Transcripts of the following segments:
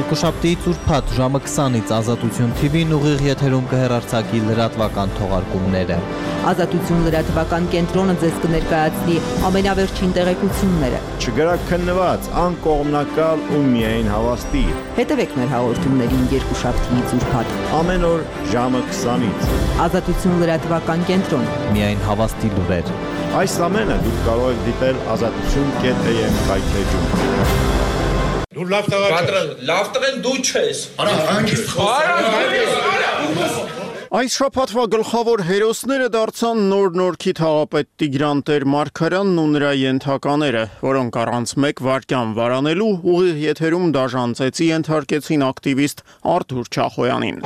Երկուշաբթիից ուրբաթ ժամը 20-ից Ազատություն TV-ն ուղիղ եթերում կհեռարձակի լրատվական թողարկումները։ Ազատություն լրատվական կենտրոնը ձեզ կներկայացնի ամենավերջին տեղեկությունները։ Չգրակ քննված, անկողմնակալ ու միայն հավաստի։ Հետևեք մեր հաղորդումներին երկուշաբթիից ուրբաթ Ամեն օր ժամը 20-ից։ Ազատություն լրատվական կենտրոն։ Միայն հավաստի լուրեր։ Այս ամենը դուք կարող եք դիտել azatutun.am հայթեջում։ Դու լավ տղեն դու չես։ Այս շաբաթվա գլխավոր հերոսները դարձան նոր-նորքի թաղապետ Տիգրան Տեր-Մարգարյանն ու նրա ենթակաները, որոնք առանց մեկ վայրկյան վարանելու ուղիղ եթերում դաժան ծեծի ենթարկեցին ակտիվիստ Արթուր Չախոյանին։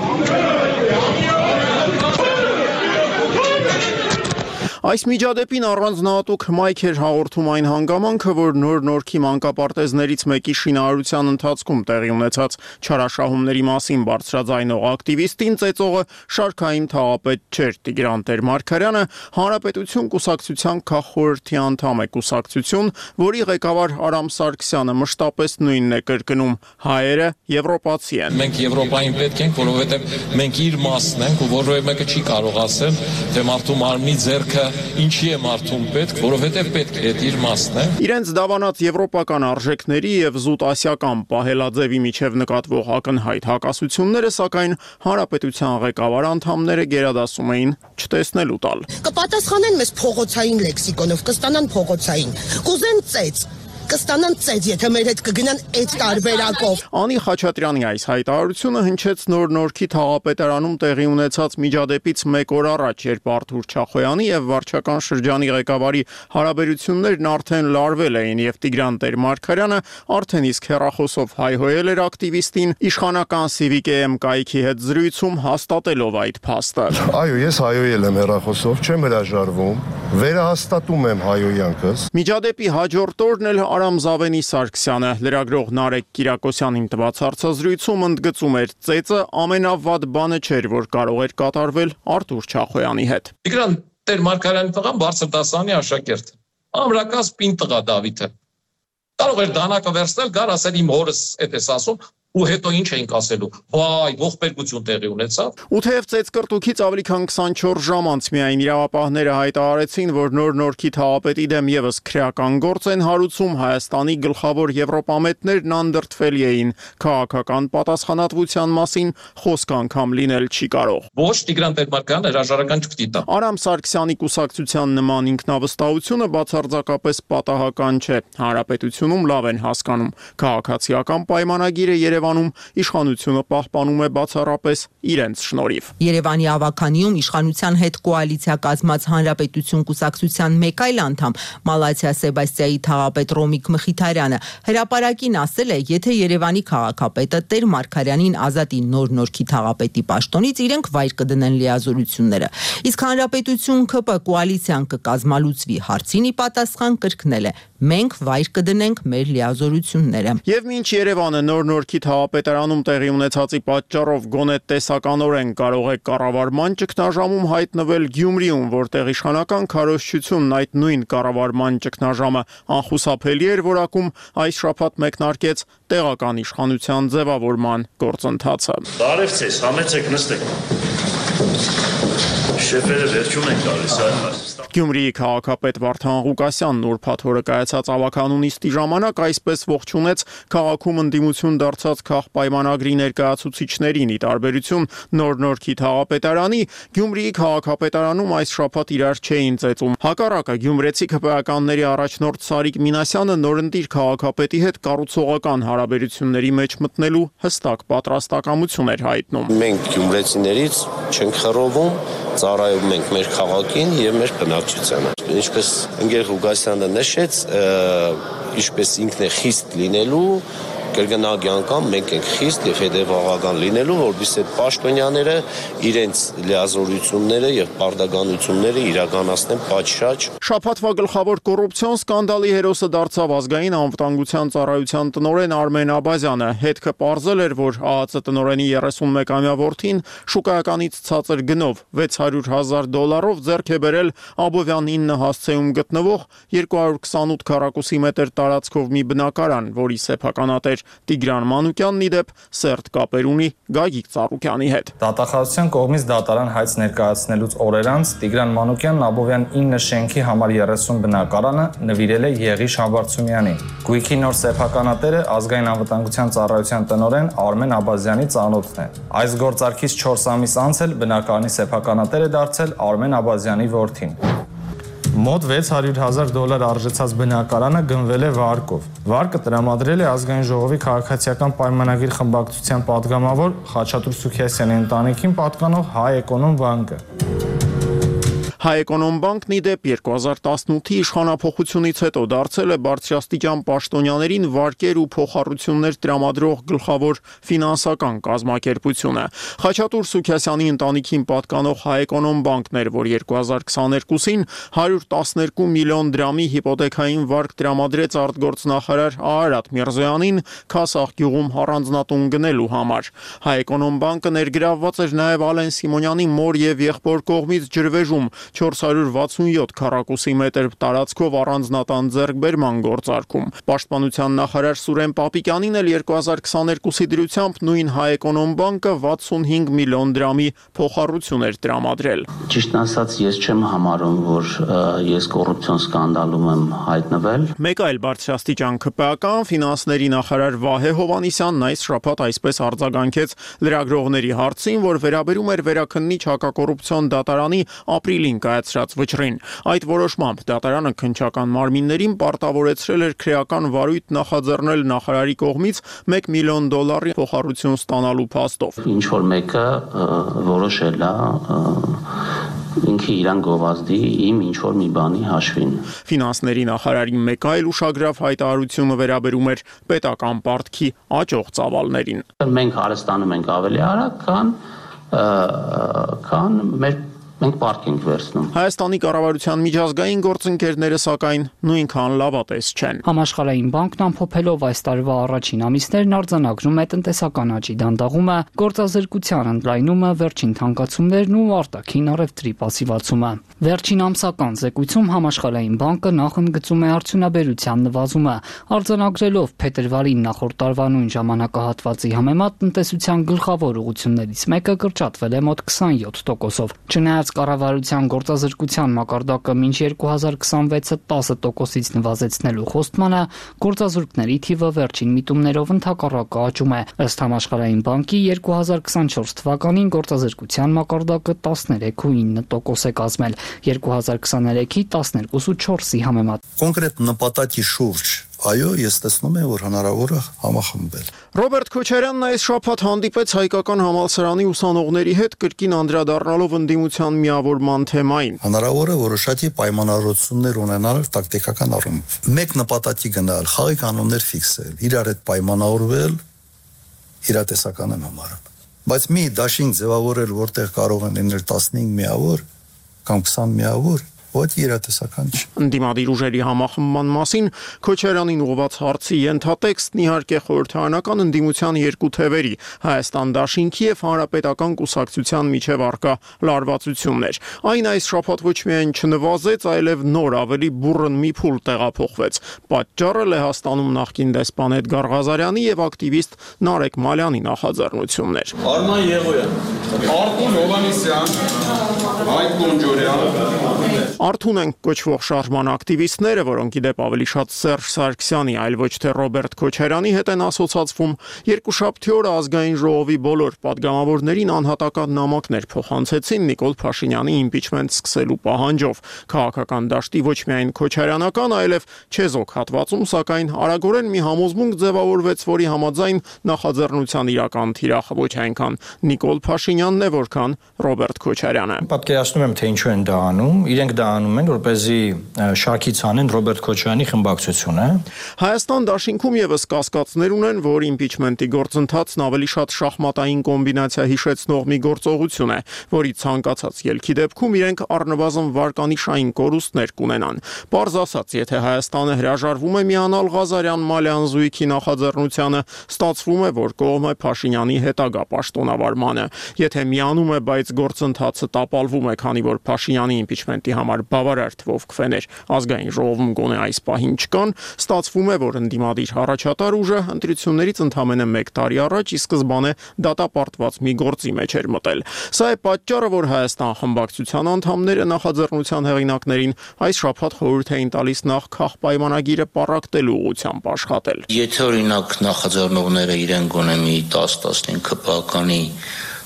Այս միջադեպին առանձնահատուկ հմայք էր հաղորդում այն հանգամանքը, որ նոր-նորքի մանկապարտեզներից մեկի շինարարության ընթացքում տեղի ունեցած չարաշահումների մասին բարձրաձայնող ակտիվիստին ծեծողը շարքային թաղապետ չէր Տիգրան Տեր-Մարգարյանը, Հանրապետություն կուսակցության քաղխորհրդի անդամ է կուսակցություն, որի ղեկավար Արամ Սարգսյանը մշտապես նույնն է կրկնում՝ հայերը եվրոպացի են։ Մենք Եվրոպային պետք ենք, որովհետև մենք իր մասն ենք, ու որևէ մեկը չի կարող ասել, թե մարդու մարմնի ձեռքը ինչի է մարդուն պետք, որովհետև պետք է իր մասն է։ Իրենց դավանած եվրոպական արժեքների եւ զուտ ասիական պահելաձևի միջև նկատվող ակնհայտ հակասությունները, սակայն Հանրապետության ղեկավար անդամները գերադասում էին չտեսնելու տալ։ Կպատասխանեն մեզ փողոցային լեքսիկոնով, կստանան փողոցային, կուզեն ծեծ, կստանան ծեծ, եթե մեր հետ կգնան այդ տարբերակով։ Անի Խաչատրյանի այս հայտարարությունը հնչեց նոր-նորքի թաղապետարանում տեղի ունեցած միջադեպից մեկ օր առաջ, երբ Արթուր Չախոյանի եւ վարչական շրջանի ղեկավարի հարաբերություններն արդեն լարվել էին եւ Տիգրան Տեր-Մարգարյանը արդեն իսկ հեռախոսով հայհոյել էր ակտիվիստին իշխանական Civic-am կայքի հետ զրույցում հաստատելով այդ փաստը։ Այո, ես հայհոյել եմ հեռախոսով, չեմ հրաժարվում, վերահաստատում եմ հայհոյանքս։ Միջադեպի հաջորդ օրն էլ Արամ Զավենի-Սարգսյանը լրագրող Նարեկ Կիրակոսյանին տված հարցազրույցում ընդգծում էր ծեծը ամենավատ բանը չէր, որ կարող էր կատարվել Արթուր Չախոյանի հետ։ Տիգրան Տեր-Մարգարյանի տղան բարձր դասարանի աշակերտ։ Ամրակաց պին տղա Դավիթը։ Կարող էր դանակը վերցնել, գար ասել իմ հորս էդ էս ասում, ու հետո ինչ էինք ասելու։ Վայ, ողբերգություն տեղի ունեցավ։ Ու թեև ծեծկրտուքից ավելի քան 24 ժամ անց միայն իրավապահները հայտարարեցին, որ նոր-նորքի թաղապետի դեմ եւս քրեական գործ են հարուցում, Հայաստանի գլխավոր եվրոպամետներն անդրդվելի էին քաղաքական պատասխանատվության մասին խոսք անգամ լինել չի կարող։ Ոչ Տիգրան Տեր-Մարգարյանը հրաժարական չպիտի տա։ Արամ Սարգսյանի կուսակցության նման ինքնավստահությունը բացարձակապես պատահական չէ։ Հանրապետությունում լավ են հասկանում քաղաքացիական պայմանագիրը Երևանում իշխանությունը պահպանում է բացառապես իրենց շնորհիվ։ Երևանի ավականիում իշխանության հետ կոալիցիա կազմած Հանրապետություն կուսակցության մեկ այլ անդամ Մալաթիա Սեբաստիայի թաղապետ Ռոմիկ Մխիթարյանը հրապարակին ասել է, եթե Երևանի քաղաքապետը Տեր-Մարգարյանին ազատի նոր-նորքի թաղապետի պաշտոնից, իրենք վայր կդնեն լիազորությունները։ Իսկ Հանրապետություն ԿՊ կոալիցիան կկազմալուծվի հարցին ի պատասխան կրկնել է. մենք վայր կդնենք մեր լիազորությունները։ Եվ մինչ Երևանը նոր-նորքի թաղապետարանում տեղի ունեցածի պատճառով գոնե տեսականորեն կարող է կառավարման ճգնաժամում հայտնվել Գյումրիում, որտեղ իշխանական քարոզչությունն այդ նույն կառավարման ճգնաժամը անխուսափելի էր որակում, այս շաբաթ մեկնարկեց տեղական իշխանության ձևավորման գործընթացը։ Բարև ձեզ, համեցեք նստեք։ Շեֆերը վերջում են գալիս, Գյումրիի քաղաքապետ Վարդան Ղուկասյանն ուրբաթ օրը կայացած ավականուն նիստի ժամանակ այսպես ողջունեց քաղաքում ընդդիմություն դարձած քաղպայմանագրի ներկայացուցիչներին, ի տարբերություն նոր-նորքի թաղապետարանի, Գյումրիի քաղաքապետարանում այս շաբաթ իրար չէին ծեծում։ Հակառակը գյումրեցի ԿՊԱ-կանների առաջնորդ Սարիկ Մինասյանը նորընտիր քաղաքապետի հետ կառուցողական հարաբերությունների մեջ մտնելու հստակ պատրաստակամություն էր հայտնում։ Մենք գյումրեցիներից չենք խռովում, ծառայում ենք մեր քաղաքին եւ մեր բնակչությանը։ Ինչպես ընկեր Ղուկասյանը նշեց, ինչպես ինքն է խիստ լինելու, կրկնակի անգամ մենք ենք խիստ եւ հետեւողական լինելու, որովհետեւ այդ պաշտոնյաները իրենց լիազորությունները եւ պարտականությունները իրականացնեն պատշաճ։ Շաբաթվա գլխավոր կոռուպցիոն սկանդալի հերոսը դարձավ ազգային անվտանգության ծառայության տնօրեն Արմեն Աբազյանը։ Հետքը պարզել էր, որ ԱԱԾ տնօրենի 31-ամյա որդին շուկայականից ցածր գնով $600,000 ձեռք է բերել Աբովյան 9 հասցեում գտնվող 228 քառակուսի մետր տարածքով մի բնակարան, որի սեփականատեր էր։ Տիգրան Մանուկյանն իդեպ սերտ կապեր ունի Գագիկ Ծառուկյանի հետ։ Դատախազության կողմից դատարան հայց ներկայացնելուց օրեր անց Տիգրան Մանուկյանն Աբովյան 9 շենքի համար 30 բնակարանը նվիրել է Եղիշ Համբարձումյանին։ Գույքի նոր սեփականատերը ազգային անվտանգության ծառայության տնօրեն Արմեն Աբազյանի ծանոթն է։ Այս գործարքից 4 ամիս անց էլ բնակարանի սեփականատեր է դարձել Արմեն Աբազյանի որդին։ Մոտ $600,000 արժեցած բնակարանը գնվել է վարկով։ Վարկը տրամադրել է ազգային ժողովի քաղաքացիական պայմանագիր խմբակցության падգամավոր Խաչատուր Սուքիասյանի ընտանիքին պատկանող Հայ Էկոնոմ բանկը։ Հայ Էկոնոմ բանկն իդեպ 2018-ի իշխանափոխությունից հետո դարձել է բարձրաստիճան պաշտոնյաներին վարկեր ու փոխառություններ տրամադրող գլխավոր ֆինանսական կազմակերպությունը։ Խաչատուր Սուքիասյանի ընտանիքին պատկանող Հայ Էկոնոմ բանկն էր, որ 2022-ին 112 միլիոն դրամի հիպոթեքային վարկ տրամադրեց արտգործնախարար Արարատ Միրզոյանին Քասախ գյուղում առանձնատուն գնելու համար։ Հայ Էկոնոմ բանկը ներգրավված էր նաև Ալեն Սիմոնյանի մոր եւ եղբոր կողմից ջրվեժում 467 քառակուսի մետր տարածքով առանձնատան ձեռքբերման գործարքում։ Պաշտպանության նախարար Սուրեն Պապիկյանին էլ 2022-ի դրությամբ նույն Հայ Էկոնոմ բանկը 65 միլիոն դրամի փոխառություն էր տրամադրել։ Ճիշտն ասած, ես չեմ համարում, որ ես կոռուպցիոն սկանդալում եմ հայտնվել։ Մեկ այլ բարձրաստիճան ԿՊԱ-ական ֆինանսների նախարար Վահե Հովհաննիսյանն այս շաբաթ այսպես արձագանքեց լրագրողների հարցին, որ վերաբերում էր Վերաքննիչ հակակոռուպցիոն դատարանի ապրիլին կայացրած վճռին։ Այդ որոշմամբ դատարանը քննչական մարմիններին պարտավորեցրել էր քրեական վարույթ նախաձեռնել նախարարի կողմից $1 միլիոն փոխառություն ստանալու փաստով։ Ինչ որ մեկը որոշել է ինքը իրան գովազդի իմ ինչ որ մի բանի հաշվին։ Ֆինանսների նախարարի մեկ այլ ուշագրավ հայտարարությունը վերաբերում էր պետական պարտքի աճող ծավալներին։ Մենք հարստանում ենք ավելի արագ, քան մենք պարտք ենք վերցնում։ Հայաստանի կառավարության միջազգային գործընկերները սակայն նույնքան լավատես չեն։ Համաշխարհային բանկն ամփոփելով այս տարվա առաջին ամիսներն արձանագրում է տնտեսական աճի դանդաղումը, գործազրկության ընդլայնումը, վերջին թանկացումներն ու արտաքին առևտրի պասիվացումը։ Վերջին ամսական զեկույցում Համաշխարհային բանկը նախընկծում է արդյունաբերության նվազումը, արձանագրելով փետրվարին նախորդ տարվա նույն ժամանակահատվածի համեմատ տնտեսության գլխավոր ուղղություններից մեկը կրճատվել է մոտ 27%-ով։ Չնայած կառավարության գործազրկության մակարդակը մինչ 2026-ը 10%-ից նվազեցնելու խոստմանը, գործազուրկների թիվը վերջին միտումներով ընդհակառակը աճում է։ Ըստ Համաշխարհային բանկի 2024 թվականին գործազրկության մակարդակը 13.9% է կազմել, 2023-ի 12.4-ի համեմատ։ Կոնկրետ նպատակի շուրջ այո, ես տեսնում եմ, որ հնարավոր է համախմբել։ Ռոբերտ Քոչարյանն այս շաբաթ հանդիպեց հայկական համալսարանի ուսանողների հետ կրկին անդրադառնալով ընդդիմության միավորման թեմային։ Հնարավոր է որոշակի պայմանավորություններ ունենալ տակտիկական առումով։ Մեկ նպատակի գնալ, խաղի կանոններ ֆիքսել, իրար հետ պայմանավորվել, իրատեսական եմ համարում։ Բայց մի դաշինք ձևավորել, որտեղ կարող են լինել 15 միավոր կամ 20 միավոր, ոչ իրատեսական չէ։ Ընդդիմադիր ուժերի համախմբման մասին Քոչարյանին ուղղված հարցի ենթատեքստն իհարկե խորհրդարանական ընդդիմության երկու թևերի՝ Հայաստան դաշինքի եւ Հանրապետական կուսակցության միջև առկա լարվածությունն էր։ Այն այս շաբաթ ոչ միայն չնվազեց, այլև նոր ավելի բուռն մի փուլ տեղափոխվեց։ Պատճառը Լեհաստանում նախկին դեսպան Էդգար Ղազարյանի եւ ակտիվիստ Նարեկ Մալյանի նախաձեռնությունն էր։ Արման Եղոյան, Արտուն Հովհաննիսյան, Հայկ Գոնջորյան Արթուն են կոչվող շարժման ակտիվիստները, որոնք իդեպ ավելի շատ Սերժ Սարգսյանի, այլ ոչ թե Ռոբերտ Քոչարյանի հետ են ասոցացվում, երկուշաբթի օրը ազգային ժողովի բոլոր падգամավորներին անհատական նամակներ փոխանցեցին Նիկոլ Փաշինյանի իմպիչմենտ սկսելու պահանջով։ Քաղաքական դաշտի ոչ միայն քոչարյանական, այլև չեզոք հատվածում, սակայն արագորեն մի համոզմունք ձևավորվեց, որի համաձայն նախաձեռնության իրական թիրախը ոչ այնքան Նիկոլ Փաշինյանն է, որքան Ռոբերտ Քոչարյանը։ Պատկերացնում եմ, թե ինչու են դա անում։ Իրենք դա անում են, որպեսզի շարքից անեն Ռոբերտ Քոչարյանի խմբակցությունը։ Հայաստան դաշինքում եւս կասկածներ ունեն, որ իմպիչմենտի գործընթացն ավելի շատ շախմատային կոմբինացիա հիշեցնող մի գործողություն է, որի ցանկացած ելքի դեպքում իրենք առնվազն վարկանիշային կորուստներ կունենան։ Պարզ ասած, եթե Հայաստանը հրաժարվում է միանալ Ղազարյան-Մալյան զույգի նախաձեռնությանը, ստացվում է, որ կողմը Փաշինյանի հետագա պաշտոնավարմանը։ Եթե միանում է, բայց գործընթացը տապալվում է, քանի որ Փաշինյանի իմպիչմենտի համար դարձնել բավարար թվով քվեներ։ Ազգային ժողովում գոնե այս պահին չկան, ստացվում է, որ ընդդիմադիր առաջատար ուժը ընտրություններից ընդամենը 1 տարի առաջ ի սկզբանե դատապարտված մի գործի մեջ էր մտել։ Սա է պատճառը, որ Հայաստան խմբակցության անդամները նախաձեռնության հեղինակներին այս շաբաթ խորհուրդ էին տալիս նախ քաղաքպայմանագիրը պառակտելու ուղղությամբ աշխատել։ Եթե օրինակ նախաձեռնողները իրեն գոնե մի 10-15 քպականի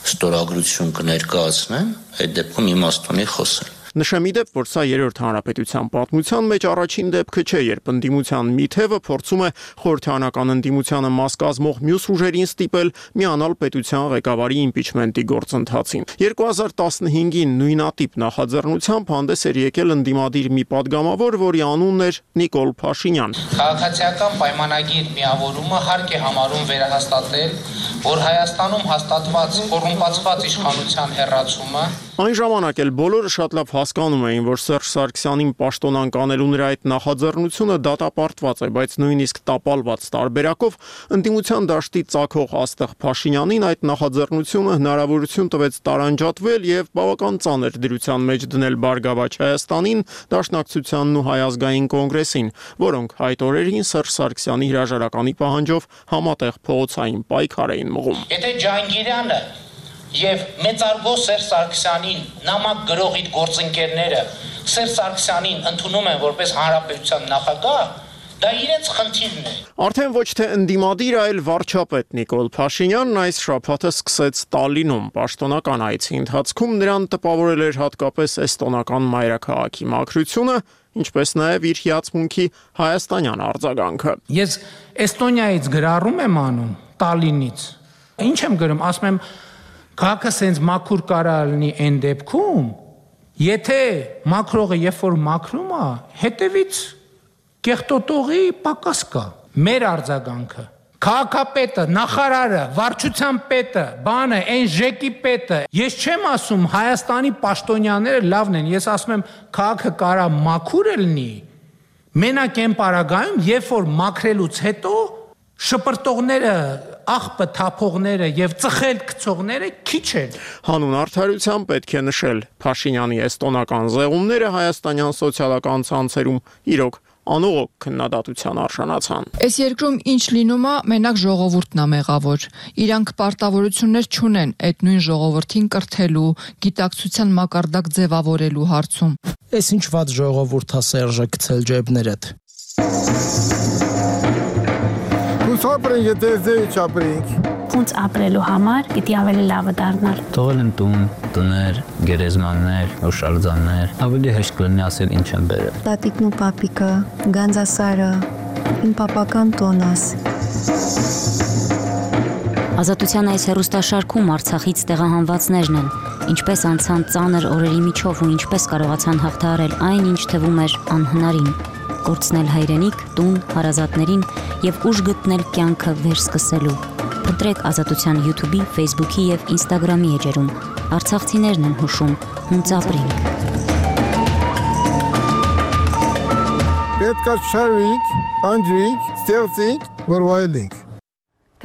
ստորագրություն կներկայացնեն, այդ դեպքում իմաստ ունի խոսել։ Նշեմ ի դեպ, որ սա երրորդ հանրապետության պատմության մեջ առաջին դեպքը չէ, երբ ընդդիմության մի թևը փորձում է խորհրդարանական ընդդիմությանը մաս կազմող մյուս ուժերին ստիպել միանալ պետության ղեկավարի իմպիչմենտի գործընթացին։ 2015-ին նույնատիպ նախաձեռնությամբ հանդես էր եկել ընդդիմադիր մի падգամավոր, որի անունն էր Նիկոլ Փաշինյան։ Քաղաքացիական պայմանագիր միավորումը հարկ է համարում վերահաստատել, որ Հայաստանում հաստատված կոռումպացված իշխանության հեռացումը Այն ժամանակ էլ բոլորը շատ լավ հասկանում էին, որ Սերժ Սարգսյանին պաշտոնան կանելու նրա այդ նախաձեռնությունը դատապարտված է, բայց նույնիսկ տապալված տարբերակով ընդդիմության դաշտի ծագող Աստղ Փաշինյանին այդ նախաձեռնությունը հնարավորություն տվեց տարանջատվել եւ բավական ծանր դրության մեջ դնել Բարգավաճ Հայաստանին, Դաշնակցությանն ու Հայ ազգային կոնգրեսին, որոնք այդ օրերին Սերժ Սարգսյանի հրաժարականի պահանջով համատեղ փողոցային պայքար էին մղում։ Եթե Ջահանգիրյանը եւ մեծարգո Սերժ Սարգսյանին նամակ գրող իր գործընկերները Սերժ Սարգսյանին ընդունում են որպես հանրապետության նախագահ, դա իրենց խնդիրն է։ Արդեն ոչ թե ընդդիմադիր, այլ վարչապետ Նիկոլ Փաշինյանն այս շաբաթը սկսեց Տալինում պաշտոնական այցի ընթացքում նրան տպավորել էր հատկապես էստոնական մայրաքաղաքի մաքրությունը, ինչպես նաև իր հիացմունքի հայաստանյան արձագանքը։ Ես Էստոնիայից գրառում եմ անում, Տալինից։ Ինչ եմ գրում, ասում եմ քաղաքը սենց մաքուր կարա լինի այն դեպքում, եթե մաքրողը երբ որ մաքրում է, հետևից կեղտոտողի պակաս կա։ Մեր արձագանքը քաղաքապետը, նախարարը, վարչության պետը, բանը, այն ժեկի պետը, ես չեմ ասում Հայաստանի պաշտոնյաները լավն են, ես ասում եմ քաղաքը կարա մաքուր լինի, մենակ այն պարագայում, երբ որ մաքրելուց հետո շպրտողները, աղբը թափողները եւ ծխել գցողները քիչ են։ Հանուն արդարության պետք է նշել, Փաշինյանի էստոնական զեղումները հայաստանյան սոցիալական ցանցերում իրոք անողոք քննադատության արժանացան։ Այս երկրում ինչ լինում է, մենակ ժողովուրդն է մեղավոր։ Իրանք պարտավորություններ չունեն այդ նույն ժողովրդին կրթելու, գիտակցության մակարդակ ձևավորելու հարցում։ Այս ինչ ված ժողովուրդ է Սերժը գցել ջեբներդ։ Ապրենք, եթե չապրենք։ Ոնց ապրելու համար պիտի ավելի լավը դառնալ։ Թողել են տուն, տներ, գերեզմաններ, հուշարձաններ, ավելի հեշտ կլինի ասել ինչ են բերել։ Տատիկն ու պապիկը, Գանձասարը, իմ պապական տոնաս։ Ազատության այս հեռուստաշարքում Արցախից տեղահանվածներն են, ինչպես անցան ծանր օրերի միջով ու ինչպես կարողացան հաղթահարել այն, ինչ թվում էր անհնարին։ Կորցնել հայրենիք, տուն, հարազատներին եւ ուժ գտնել կյանքը վերսկսելու։ Փնտրեք Ազատության YouTube-ի, Facebook-ի եւ Instagram-ի էջերում։ Արցախցիներն են հուշում, հունց ապրենք։ Պետք է շարվենք, անջրենք, ստեղծենք, որ վայելենք։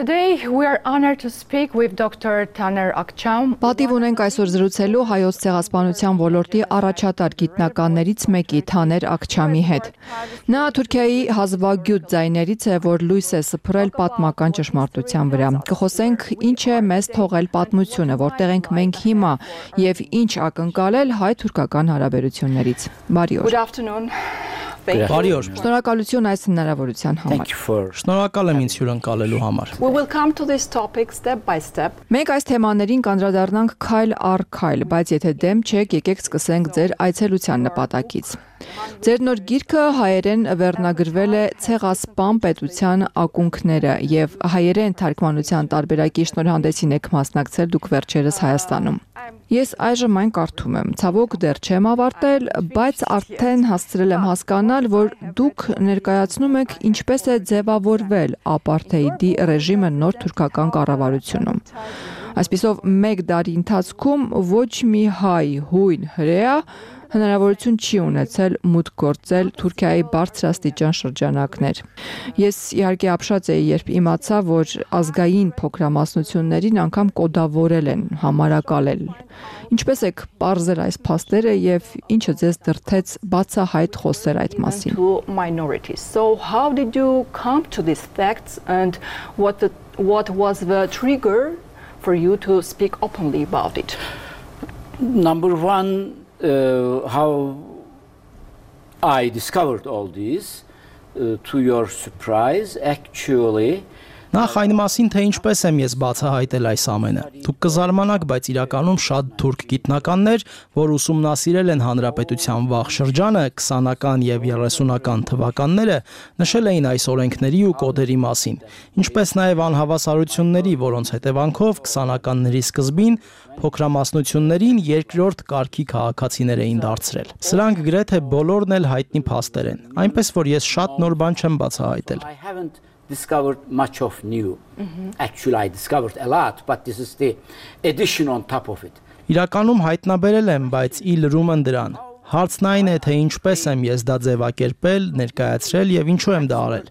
Today we are honored to speak with Dr. Taner Akçam. Պատիվ ունենք այսօր զրուցելու հայոց ցեղասպանության ոլորտի առաջատար գիտնականներից մեկի Թաներ Ակչամի հետ։ Նա Թուրքիայի հազվագյուտ ձայներից է, որ լույս է սփռել պատմական ճշմարտության վրա։ Կխոսենք ինչ է մեզ թողել պատմությունը, որտեղ ենք մենք հիմա եւ ինչ ակնկալել հայ-թուրքական հարաբերություններից։ Բարի օր։ Good afternoon. Բարի օր։ Շնորհակալություն այս հնարավորության համար։ Շնորհակալ եմ ինձ հյուրընկալելու համար։ We will come to this topic step by step. Մենք այս թեմաներին կանդրադառնանք քայլ առ քայլ, բայց եթե դեմ չեք, եկեք սկսենք ձեր այցելության նպատակից։ Ձեր նոր գիրքը հայերեն վերնագրվել է Ցեղասպան պետության ակունքները եւ հայերեն թարգմանության տարբերակի շնորհանդեսին եք մասնակցել դուք վերջերս Հայաստանում։ Ես այժմ այն կարդում եմ, ցավոք դեռ չեմ ավարտել, բայց արդեն հասցրել եմ հասկանալ, որ դուք ներկայացնում եք ինչպես է ձևավորվել ապարթեիդի ռեժիմը նոր թուրքական կառավարությունում։ Այսպիսով 1 տարի ընթացքում ոչ մի հայ, հույն, հրեա հնարավորություն չի ունեցել մուտք գործել Թուրքիայի բարձրաստիճան շրջանակներ։ Ես իհարկե ապշած էի, երբ իմացա, որ ազգային փոքրամասնություններին անգամ կոդավորել են, համարակալել։ Ինչպես եք պարզել այս փաստերը եւ ինչը ձեզ դրդեց բացահայտ խոսել այդ մասին։ So how did you come to these facts and what was the trigger for you to speak openly about it? Number one, how I discovered all this, to your surprise, actually. Նախ այն մասին, թե ինչպես եմ ես բացահայտել այս ամենը։ Դուք կզարմանաք, բայց իրականում շատ թուրք գիտնականներ, որ ուսումնասիրել են հանրապետության վաղ շրջանը, 20-ական եւ 30-ական թվականները, նշել էին այս օրենքների ու կոդերի մասին, ինչպես նաեւ անհավասարությունների, որոնց հետևանքով 20-ականների սկզբին փոքրամասնություններին երկրորդ կարգի քաղաքացիներ էին դարձրել։ Սրանք գրեթե բոլորն էլ հայտնի փաստեր են, այնպես որ ես շատ նոր բան չեմ բացահայտել։ Discovered much of new. Actually, I discovered a lot, but this is the addition on top of it. Իրականում հայտնաբերել եմ, բայց ի լրում են դրան։ Հարցն այն է, թե ինչպես եմ ես դա ձևակերպել, ներկայացրել եւ ինչու եմ դա արել։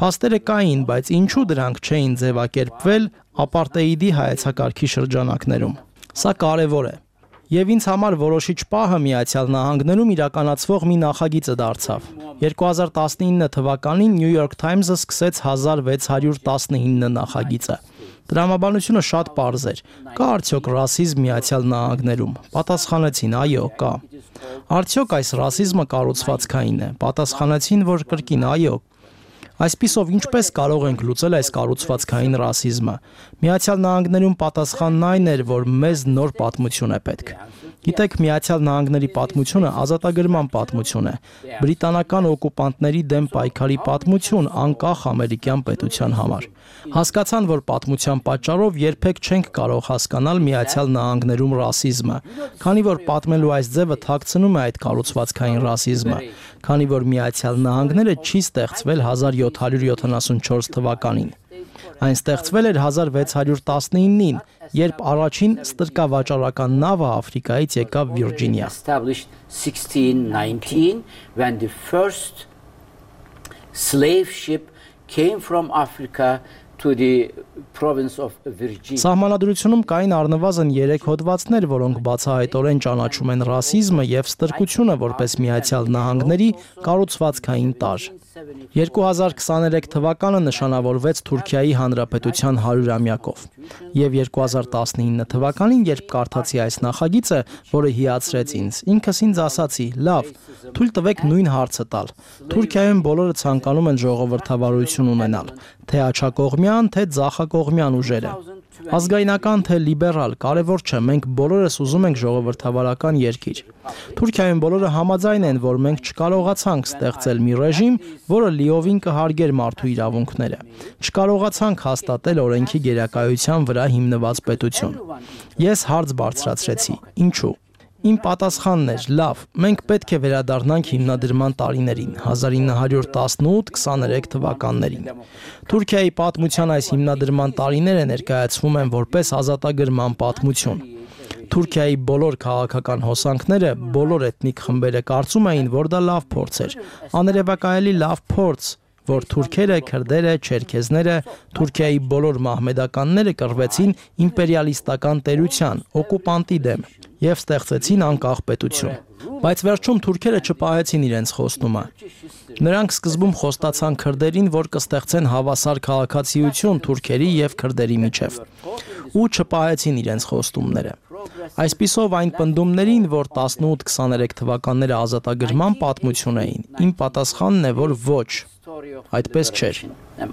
Փաստերը կային, բայց ինչու դրանք չէին ձևակերպվել ապարտեիդի հայեցակարգի շրջանակներում։ Սա կարևոր է։ Եվ ինձ համար որոշիչ պահը Միացյալ Նահանգներում իրականացվող մի նախագիծը դարձավ։ 2019 թվականին New York Times-ը սկսեց 1619 նախագիծը։ Տրամաբանությունը շատ պարզ էր։ Կա արդյոք ռասիզմ Միացյալ Նահանգներում։ Պատասխանեցին՝ այո, կա։ Արդյոք այս ռասիզմը կառուցվածքային է։ Պատասխանեցին, որ կրկին այո։ Այսպիսով ինչպես կարող ենք լուծել այս կառուցվածքային ռասիզմը։ Միացյալ Նահանգներում պատասխանն այն էր, որ մեզ նոր պատմություն է պետք։ Գիտեք, Միացյալ Նահանգների պատմությունը ազատագրման պատմություն է, բրիտանական օկուպանտների դեմ պայքարի պատմություն անկախ ամերիկյան պետության համար։ Հասկացան, որ պատմության պատճառով երբեք չենք կարող հասկանալ Միացյալ Նահանգներում ռասիզմը, քանի որ պատմելու այս ձևը թաքցնում է այդ կառուցվածքային ռասիզմը, քանի որ Միացյալ Նահանգները չի ստեղծվել 1774 թվականին։ Այն ստեղծվել էր 1619-ին, երբ առաջին ստրկավաճառական նավը Աֆրիկայից եկավ Վիրջինիա։ 1619 when the first slave ship came from Africa to the province of Virginia. Սահմանադրությունում կային առնվազն 3 հոդվածներ, որոնք բացահայտորեն ճանաչում են ռասիզմը եւ ստրկությունը որպես Միացյալ Նահանգների կառուցվածքային տարր։ 2023 թվականը նշանավորվեց Թուրքիայի Հանրապետության 100-ամյակով եւ 2019 թվականին, երբ կարդացի այս նախագիծը, որը հիացրեց ինձ, ինքս ինձ ասացի՝ լավ, թույլ տվեք նույն հարցը տալ։ Թուրքիայում բոլորը ցանկանում են ժողովրդավարություն ունենալ, թե աջակողմյան, թե ձախակողմյան ուժերը։ Ազգայնական թե լիբերալ, կարևոր չէ, մենք բոլորս ուզում ենք ժողովրդավարական երկիր։ Թուրքիայում բոլորը համաձայն են, որ մենք չկարողացանք ստեղծել մի ռեժիմ, որը լիովին կհարգեր մարդու իրավունքները։ Չկարողացանք հաստատել օրենքի գերակայության վրա հիմնված պետություն։ Ես հարց բարձրացրեցի. ինչու։ Իմ պատասխանն էր՝ լավ, մենք պետք է վերադառնանք հիմնադրման տարիներին, 1918-23 թվականներին։ Թուրքիայի պատմության այս հիմնադրման տարիները ներկայացվում են որպես ազատագրման պատմություն։ Թուրքիայի բոլոր քաղաքական հոսանքները, բոլոր էթնիկ խմբերը կարծում էին, որ դա լավ փորձ էր, աներևակայելի լավ փորձ, որ թուրքերը, քրդերը, չերքեզները, Թուրքիայի բոլոր մահմեդականները կռվեցին իմպերիալիստական տերության, օկուպանտի դեմ եւ ստեղծեցին անկախ պետություն։ Բայց վերջում թուրքերը չպահեցին իրենց խոստումը։ Նրանք սկզբում խոստացան քրդերին, որ կստեղծեն հավասար քաղաքացիություն թուրքերի եւ քրդերի միջև, ու չպահեցին իրենց խոստումները։ Այսպիսով այն պնդումներին, որ 18-23 թվականները ազատագրման պատմություն էին, իմ պատասխանն է, որ ոչ, այդպես չէր։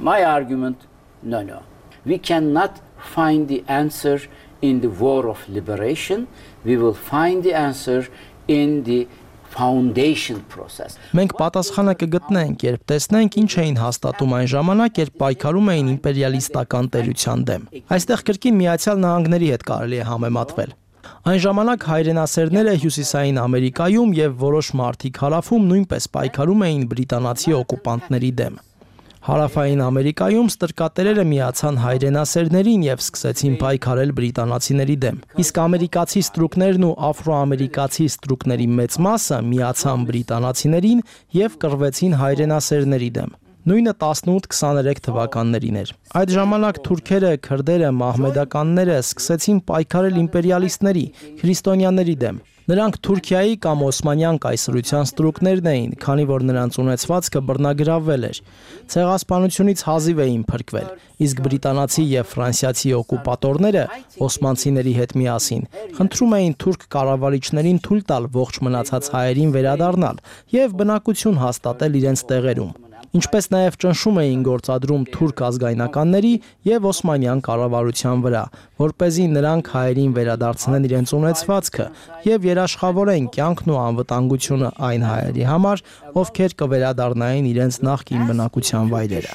My argument, no. We cannot find the answer in the war of liberation. We will find the answer in the foundation process. Մենք պատասխանը կգտնենք, երբ տեսնենք ինչ էին հաստատում այն ժամանակ, երբ պայքարում էին իմպերիալիստական տերության դեմ։ Այստեղ կրկին Միացյալ Նահանգների հետ կարելի է համեմատվել։ Այն ժամանակ հայրենասերները Հյուսիսային Ամերիկայում եւ որոշ մարդիկ հարավում նույնպես պայքարում էին բրիտանացի օկուպանտների դեմ։ Հարավային Ամերիկայում ստրկատերերը միացան հայրենասերներին եւ սկսեցին պայքարել բրիտանացիների դեմ։ Իսկ ամերիկացի ստրուկներն ու աֆրոամերիկացի ստրուկների մեծ մասը միացան բրիտանացիներին եւ կռվեցին հայրենասերների դեմ։ Նույնը 18-23 թվականներին էր։ Այդ ժամանակ թուրքերը, քրդերը, մահմեդականները սկսեցին պայքարել իմպերիալիստների, քրիստոնյաների դեմ։ Նրանք Թուրքիայի կամ Օսմանյան կայսրության ստրուկներն էին, քանի որ նրանց ունեցվածքը բռնագրավվել էր։ Ցեղասպանությունից հազիվ էին փրկվել, իսկ բրիտանացի եւ ֆրանսիացի օկուպատորները օսմանցիների հետ միասին խնդրում էին թուրք կառավարիչներին թույլ տալ ողջ մնացած հայերին վերադառնալ եւ բնակություն հաստատել իրենց տեղերում։ Ինչպես նաև ճնշում էին գործադրում թուրք ազգայնականների եւ օսմանյան կառավարության վրա, որպեսզի նրանք հայերին վերադարձնեն իրենց ունեցվածքը եւ երաշխավորեն կյանքն ու անվտանգությունը այն հայերի համար, ովքեր կվերադառնային իրենց նախկին բնակության վայրերը։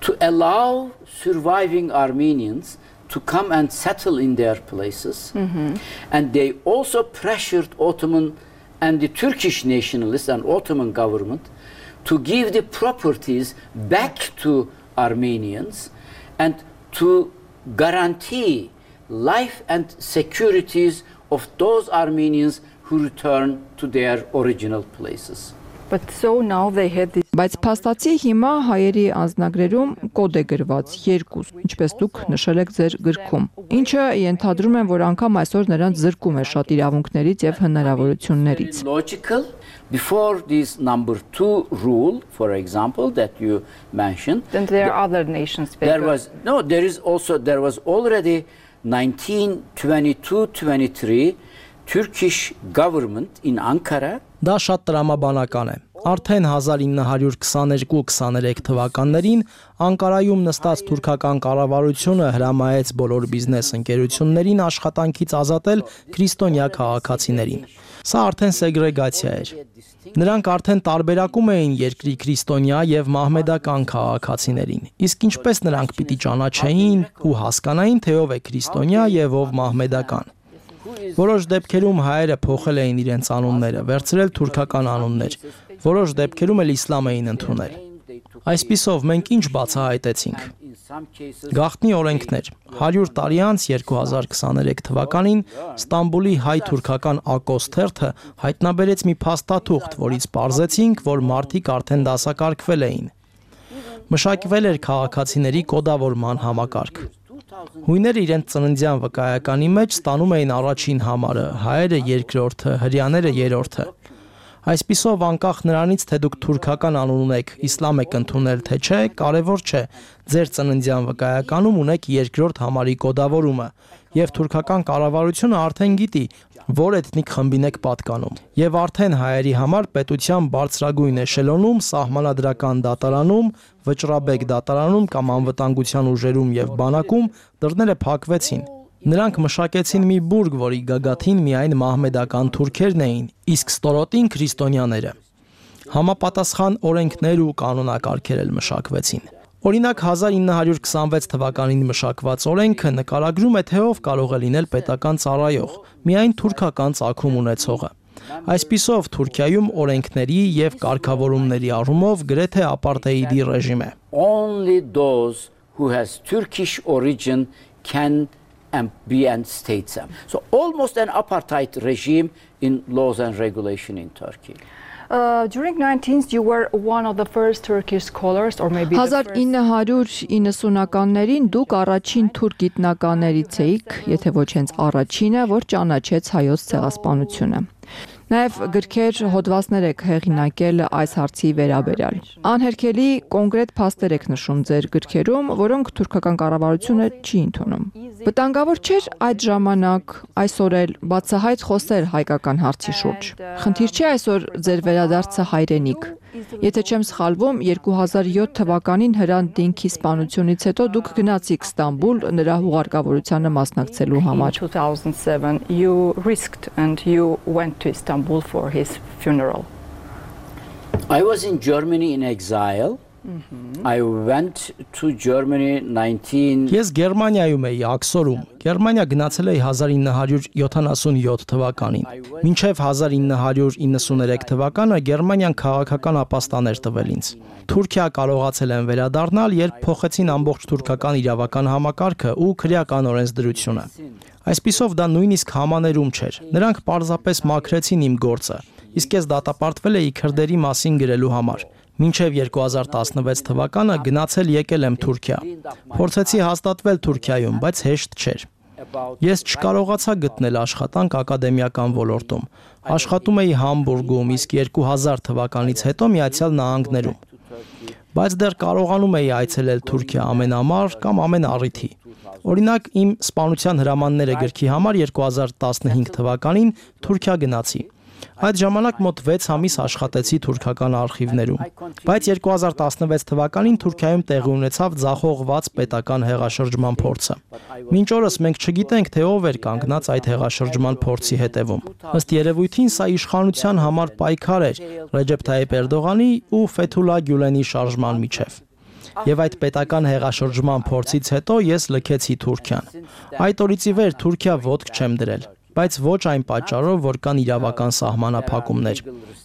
To allow surviving Armenians to come and settle in their places, and they also pressured Ottoman and the Turkish nationalists and Ottoman government to give the properties back to Armenians and to guarantee life and securities of those Armenians who return to their original places. But so now they had this. Բայց փաստացի հիմա հայերի անձնագրերում կոդ է գրված 2, ինչպես դուք նշել եք ձեր գրքում, ինչը ենթադրում են, որ անգամ այսօր նրանց զրկում է շատ իրավունքներից եւ հնարավորություններից։ Logical. Before this number 2 rule, for example, that you mentioned, then there are other nations. There was already 1922-23 Turkish government in Ankara. Դա շատ տրամաբանական է։ Արդեն 1922-23 թվականներին Անկարայում նստած թուրքական կառավարությունը հրամայեց բոլոր բիզնես ընկերություններին աշխատանքից ազատել քրիստոնյա քաղաքացիներին։ Սա արդեն սեգրեգացիա էր։ Նրանք արդեն տարբերակում էին երկրի քրիստոնյա եւ մահմեդական քաղաքացիներին։ Իսկ ինչպես նրանք պիտի ճանաչեին ու հասկանային, թե ով է քրիստոնյա եւ ով մահմեդական։ Որոշ դեպքերում հայերը փոխել էին իրենց անունները, վերցրել թուրքական անուններ, որոշ դեպքերում էլ իսլամ էին ընդունել։ Այսպիսով մենք ինչ բացահայտեցինք։ Գաղտնի օրենքներ 100 տարի անց 2023 թվականին Ստամբուլի հայ-թուրքական ակոս թերթը հայտնաբերեց մի փաստաթուղթ, որից պարզեցինք, որ մարդիկ արդեն դասակարգվել էին։ Մշակվել էր քաղաքացիների կոդավորման համակարգ։ Հույները իրենց ծննդյան վկայականի մեջ ստանում էին առաջին համարը, հայերը երկրորդը, հրեաները երրորդը։ Այսպիսով անկախ նրանից, թե դուք թուրքական անուն ունեք, իսլամ եք ընդունել, թե չէ, կարևոր չէ։ Ձեր ծննդյան վկայականում ունեք երկրորդ համարի կոդավորումը, եւ թուրքական կառավարությունը արդեն գիտի, որ էթնիկ խմբին եք պատկանում։ Եվ արդեն հայերի համար պետության բարձրագույն էշելոնում, սահմանադրական դատարանում, վճռաբեկ դատարանում կամ անվտանգության ուժերում եւ բանակում դռները փակվեցին։ Նրանք մշակեցին մի բուրգ, որի գագաթին միայն մահմեդական թուրքերն էին, իսկ ստորոտին քրիստոնյաները։ Համապատասխան օրենքներ ու կանոնակարգեր էլ մշակվեցին։ Օրինակ 1926 թվականին մշակված օրենքը նկարագրում է, թե ով կարող է լինել պետական ծառայող, միայն թուրքական ծագում ունեցողը։ Այսպիսով Թուրքիայում օրենքների եւ կարգավորումների առումով գրեթե ապարտեիդի ռեժիմ է։ Only those who has Turkish origin can be and states them. So almost an apartheid regime in laws and regulation in Turkey. During 19th you were one of the first Turkish scholars or maybe 1990-ականներին դուք առաջին թուրք գիտնականներից էիք, եթե ոչ հենց առաջինը, որ ճանաչեց հայոց ցեղասպանությունը։ Նաև գրքեր, հոդվածներ եք հեղինակել այս հարցի վերաբերյալ։ Անհերքելի կոնկրետ փաստեր եք նշում ձեր գրքերում, որոնք թուրքական կառավարությունը չի ընդունում։ Վտանգավոր չէր այդ ժամանակ, այսօր էլ բացահայտ խոսել հայկական հարցի շուրջ։ Խնդիր չէ այսօր ձեր վերադարձը հայրենիք։ Եթե չեմ սխալվում, 2007 թվականին Հրանտ Դինքի սպանությունից հետո դուք գնացիք Ստամբուլ նրա հուղարկավորությանը մասնակցելու համար։ 2007 you risked and you went to Istanbul for his funeral. I was in Germany in exile. I went to Germany 19 Ես Գերմանիայում էի աքսորում։ Գերմանիա գնացել էի 1977 թվականին։ Մինչև 1993 թվականը Գերմանիան քաղաքական ապաստան էր տվել ինձ։ Թուրքիա կարողացել են վերադառնալ, երբ փոխեցին ամբողջ թուրքական իրավական համակարգը ու քրեական օրենսդրությունը։ Այսպիսով դա նույնիսկ համաներում չէր։ Նրանք պարզապես մաքրեցին իմ գործը, իսկ ես դատապարտվել էի քրդերի մասին գրելու համար։ Մինչև 2016 թվականը գնացել եկել եմ Թուրքիա։ Փորձեցի հաստատվել Թուրքիայում, բայց հեշտ չէր։ Ես չկարողացա գտնել աշխատանք ակադեմիական ոլորտում։ Աշխատում էի Համբուրգում, իսկ 2000 թվականից հետո Միացյալ Նահանգներում։ Բայց դեռ կարողանում էի այցելել Թուրքիա ամեն ամառ կամ ամեն առիթի։ Օրինակ, իմ սպանության հրամանները գրքի համար 2015 թվականին Թուրքիա գնացի։ Այդ ժամանակ մոտ 6 ամիս աշխատեցի թուրքական արխիվներում, բայց 2016 թվականին Թուրքիայում տեղի ունեցավ ձախողված պետական հեղաշրջման փորձը։ Մինչ օրս մենք չգիտենք, թե ով էր կանգնած այդ հեղաշրջման փորձի հետևում։ Ըստ երևույթին սա իշխանության համար պայքար էր Ռեջեփ Թայիփ Էրդողանի ու Ֆեթուլա Գյուլենի շարժման միջև։ Եվ այդ պետական հեղաշրջման փորձից հետո ես լքեցի Թուրքիան։ Այդ օրից ի վեր Թուրքիա ոտք չեմ դրել, բայց ոչ այն պատճառով, որ կան իրավական սահմանափակումներ։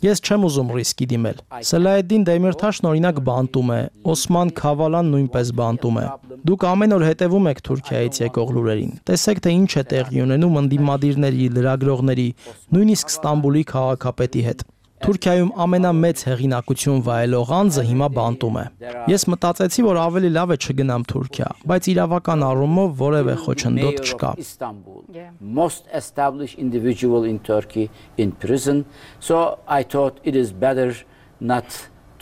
Ես չեմ ուզում ռիսկի դիմել։ Սելահեդդին Դեմիրթաշն օրինակ բանտում է, Օսման Քավալան նույնպես բանտում է։ Դուք ամեն օր հետևում եք Թուրքիայից եկող լուրերին։ Տեսեք, թե ինչ է տեղի ունենում ընդդիմադիրների, լրագրողների, նույնիսկ Ստամբուլի քաղաքապետի հետ։ Թուրքիայում ամենամեծ հեղինակություն վայելող անձը հիմա բանտում է։ Ես մտածեցի, որ ավելի լավ է չգնամ Թուրքիա, բայց իրավական առումով որևէ խոչընդոտ չկա։ Most established individual in Turkey in prison, so I thought it is better not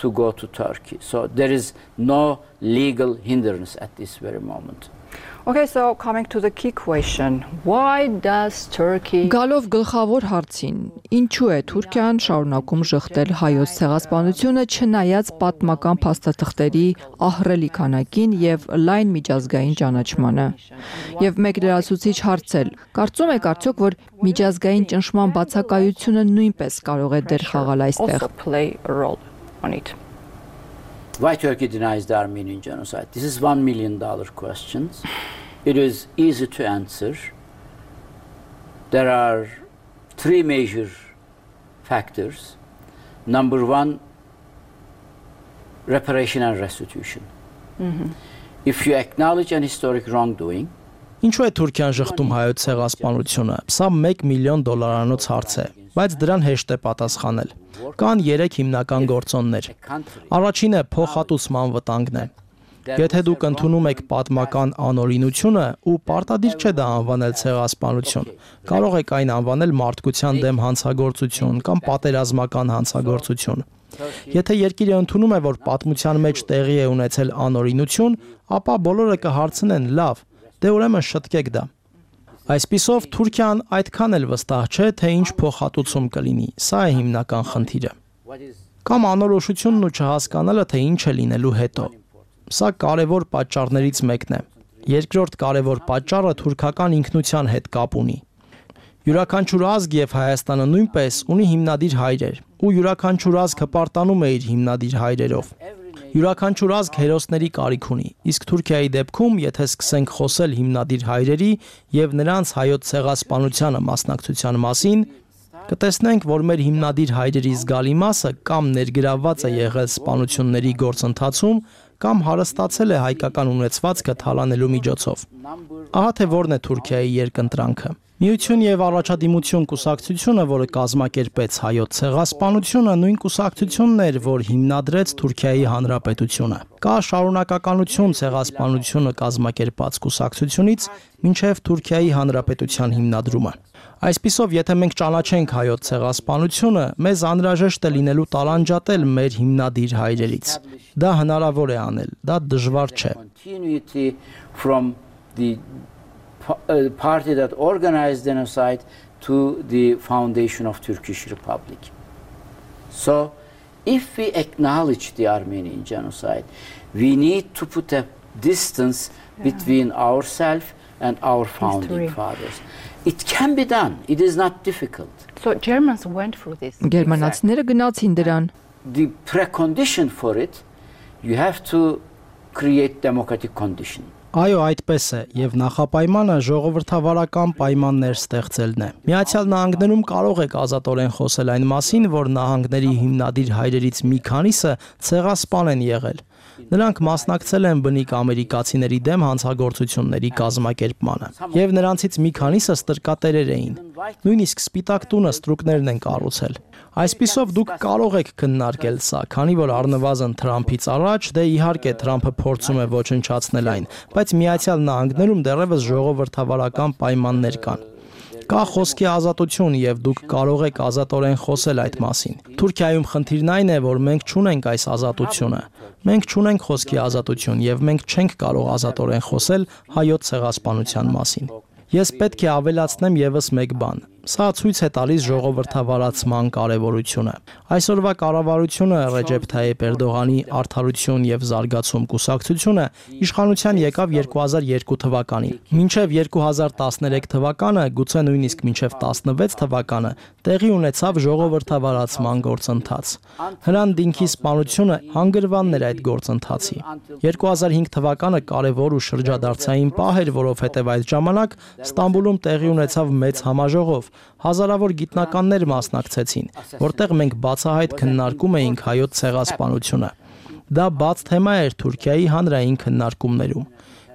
to go to Turkey. So there is no legal hindrance at this very moment. Okay, so coming to the key question, why does Turkey Գալով գլխավոր հարցին, ինչու է Թուրքիան շարունակում շղթել հայոց ցեղասպանությունը չնայած պատմական փաստաթղթերի ահռելի քանակին եւ լայն միջազգային ճանաչմանը։ Եվ մեկ լրացուցիչ հարցել, կարծում եք արդյոք, որ միջազգային ճնշման բացակայությունը նույնպես կարող է դեր խաղալ այստեղ։ Why Turkey denies the Armenian genocide? This is $1 million question. It is easy to answer. There are three major factors. Number one, reparation and restitution. If you acknowledge an historic wrongdoing, Ինչու է Թուրքիան շղթում հայոց ցեղասպանությունը? Սա $1 միլիոն հարց է, բայց դրան հեշտ է պատասխանել։ Կան 3 հիմնական գործոններ։ Առաջինը փոխհատուցման վտանգն է։ Եթե դուք ընդունում եք պատմական անօրինությունը ու պարտադիր չէ դա անվանել ցեղասպանություն, կարող եք այն անվանել մարդկության դեմ հանցագործություն կամ պատերազմական հանցագործություն։ Եթե երկիրը ընդունում է, որ պատմության մեջ տեղի է ունեցել անօրինություն, ապա բոլորը կհարցնեն՝ լավ, դե ուրեմն շտկեք դա։ Այսպիսով Թուրքիան այդքան էլ վստահ չէ, թե ինչ փոխհատուցում կլինի։ Սա է հիմնական խնդիրը։ Կամ անորոշությունն ու չհասկանալը, թե ինչ է լինելու հետո։ Սա կարևոր պատճառներից մեկն է։ Երկրորդ կարևոր պատճառը թուրքական ինքնության հետ կապ ունի։ Յուրաքանչյուր ազգ եւ Հայաստանը նույնպես ունի հիմնադիր հայրեր, ու յուրաքանչյուր ազգ հպարտանում է իր հիմնադիր հայրերով։ Յուրաքանչյուր ազգ հերոսների կարիք ունի, իսկ Թուրքիայի դեպքում, եթե սկսենք խոսել հիմնադիր հայրերի եւ նրանց հայոց ցեղասպանությանը մասնակցության մասին, կտեսնենք, որ մեր հիմնադիր հայրերի զգալի մասը կամ ներգրավված է եղել սպանությունների գործընթացում, կամ հարստացել է հայկական ունեցվածքը թալանելու միջոցով։ Ահա թե որն է Թուրքիայի երկընտրանքը։ Միություն եւ առաջադիմություն կուսակցությունը, որը կազմակերպեց հայոց ցեղասպանությունը, նույն կուսակցությունն էր, որ հիմնադրեց Թուրքիայի Հանրապետությունը։ Կա շարունակականություն ցեղասպանությունը կազմակերպած կուսակցությունից մինչև Թուրքիայի Հանրապետության հիմնադրումը։ Այսպիսով, եթե մենք ճանաչենք հայոց ցեղասպանությունը, մեզ անհրաժեշտ է լինելու տարանջատել մեր հիմնադիր հայրերից։ Դա հնարավոր է անել, դա դժվար չէ։ Party that organized genocide to the foundation of Turkish Republic. So, if we acknowledge the Armenian genocide, we need to put a distance between ourselves and our founding fathers. It can be done. It is not difficult. So Germans went through this. Գերմանացիները գնացին դրան։ The precondition for it you have to create democratic condition. Այո, այդպես է, եւ նախապայմանը ժողովրդավարական պայմաններ ստեղծելն է։ Միացյալ Նահանգներում կարող եք ազատորեն խոսել այն մասին, որ նահանգների հիմնադիր հայրերից մի քանիսը ցեղասպան են եղել։ Նրանք մասնակցել են բնիկ ամերիկացիների դեմ հանցագործությունների կազմակերպմանը, եւ նրանցից մի քանիսը ստրկատերեր էին։ Նույնիսկ Սպիտակ տունը ստրուկներն են կառուցել։ Այսպիսով դուք կարող եք քննարկել սա, քանի որ առնվազն Թրամփից առաջ, դե իհարկե Թրամփը փորձում է ոչնչացնել այն, բայց Միացյալ Նահանգներում դեռևս ժողովրդավարական պայմաններ կան։ Կա խոսքի ազատություն եւ դուք կարող եք ազատորեն խոսել այդ մասին։ Թուրքիայում խնդիրն այն է, որ մենք չունենք այս ազատությունը։ Մենք չունենք խոսքի ազատություն եւ մենք չենք կարող ազատորեն խոսել հայոց ցեղասպանության մասին։ Ես պետք է ավելացնեմ եւս մեկ բան։ Սա ցույց է տալիս ժողովրդավարացման կարևորությունը։ Այսօրվա կառավարությունը Ռեջեփ Թայիփ Էրդողանի Արդարություն եւ զարգացում կուսակցությունը իշխանության եկավ 2002 թվականին։ Մինչև 2013 թվականը, գուցե նույնիսկ մինչև 16 թվականը տեղի ունեցավ ժողովրդավարացման գործընթաց։ Հրանտ Դինքի սպանությունը հանգրվանն էր այդ գործընթացի։ 2005 թվականը կարևոր ու շրջադարձային պահ էր, որովհետև այդ ժամանակ Ստամբուլում տեղի ունեցավ մեծ համաժողով, հազարավոր գիտնականներ մասնակցեցին, որտեղ մենք բացահայտ քննարկում էինք հայոց ցեղասպանությունը։ Դա բաց թեմա էր Թուրքիայի հանրային քննարկումներում,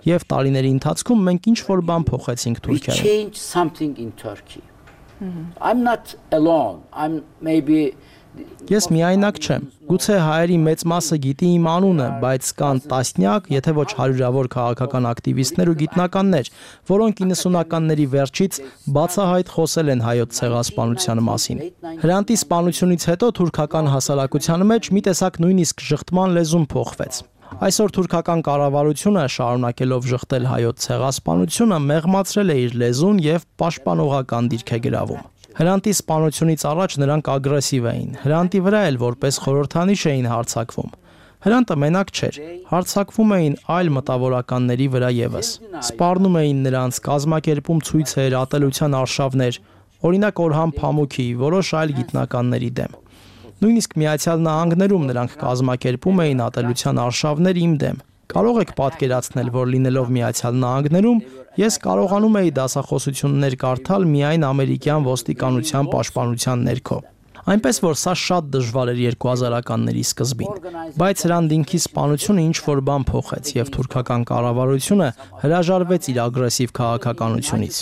եւ տարիների ընթացքում մենք ինչ-որ բան փոխեցինք Թուրքիայում։ I'm not alone. I'm maybe Ես միայնակ չեմ։ Գուցե հայերի մեծ մասը գիտի իմ անունը, բայց կան տասնյակ, եթե ոչ հարյուրավոր քաղաքական ակտիվիստներ ու գիտնականներ, որոնք 90-ականների վերջից բացահայտ խոսել են հայոց ցեղասպանության մասին։ Հրանտի սպանությունից հետո թուրքական հասարակության մեջ մի տեսակ նույնիսկ շղթման լեզուն փոխվեց։ Այսօր թուրքական կառավարությունը, շարունակելով շղթել հայոց ցեղասպանությունը, մեղմացրել է իր լեզուն եւ պաշտպանողական դիրք է գրավում։ Հրանտի սպանությունից առաջ նրանք ագրեսիվ էին։ Հրանտի վրա էլ որպես խորհրդանիշ էին հարձակվում։ Հրանտը մենակ չէր, հարձակվում էին այլ մտավորականների վրա եւս։ Սպառնում էին նրանց, կազմակերպում ցույցեր, ատելության արշավներ, օրինակ Օրհան Փամուքի, որոշ այլ գիտնականների դեմ։ Նույնիսկ Միացյալ Նահանգներում նրանք կազմակերպում էին ատելության արշավներ իմ դեմ։ Կարող եք պատկերացնել, որ լինելով Միացյալ Նահանգներում ես կարողանում էի դասախոսություններ կարդալ միայն ամերիկյան ոստիկանության պաշտպանության ներքո։ Այնպես որ սա շատ դժվար էր 2000-ականների սկզբին, բայց Հրանտ Դինքի սպանությունը ինչ-որ բան փոխեց եւ թուրքական կառավարությունը հրաժարվեց իր ագրեսիվ քաղաքականությունից։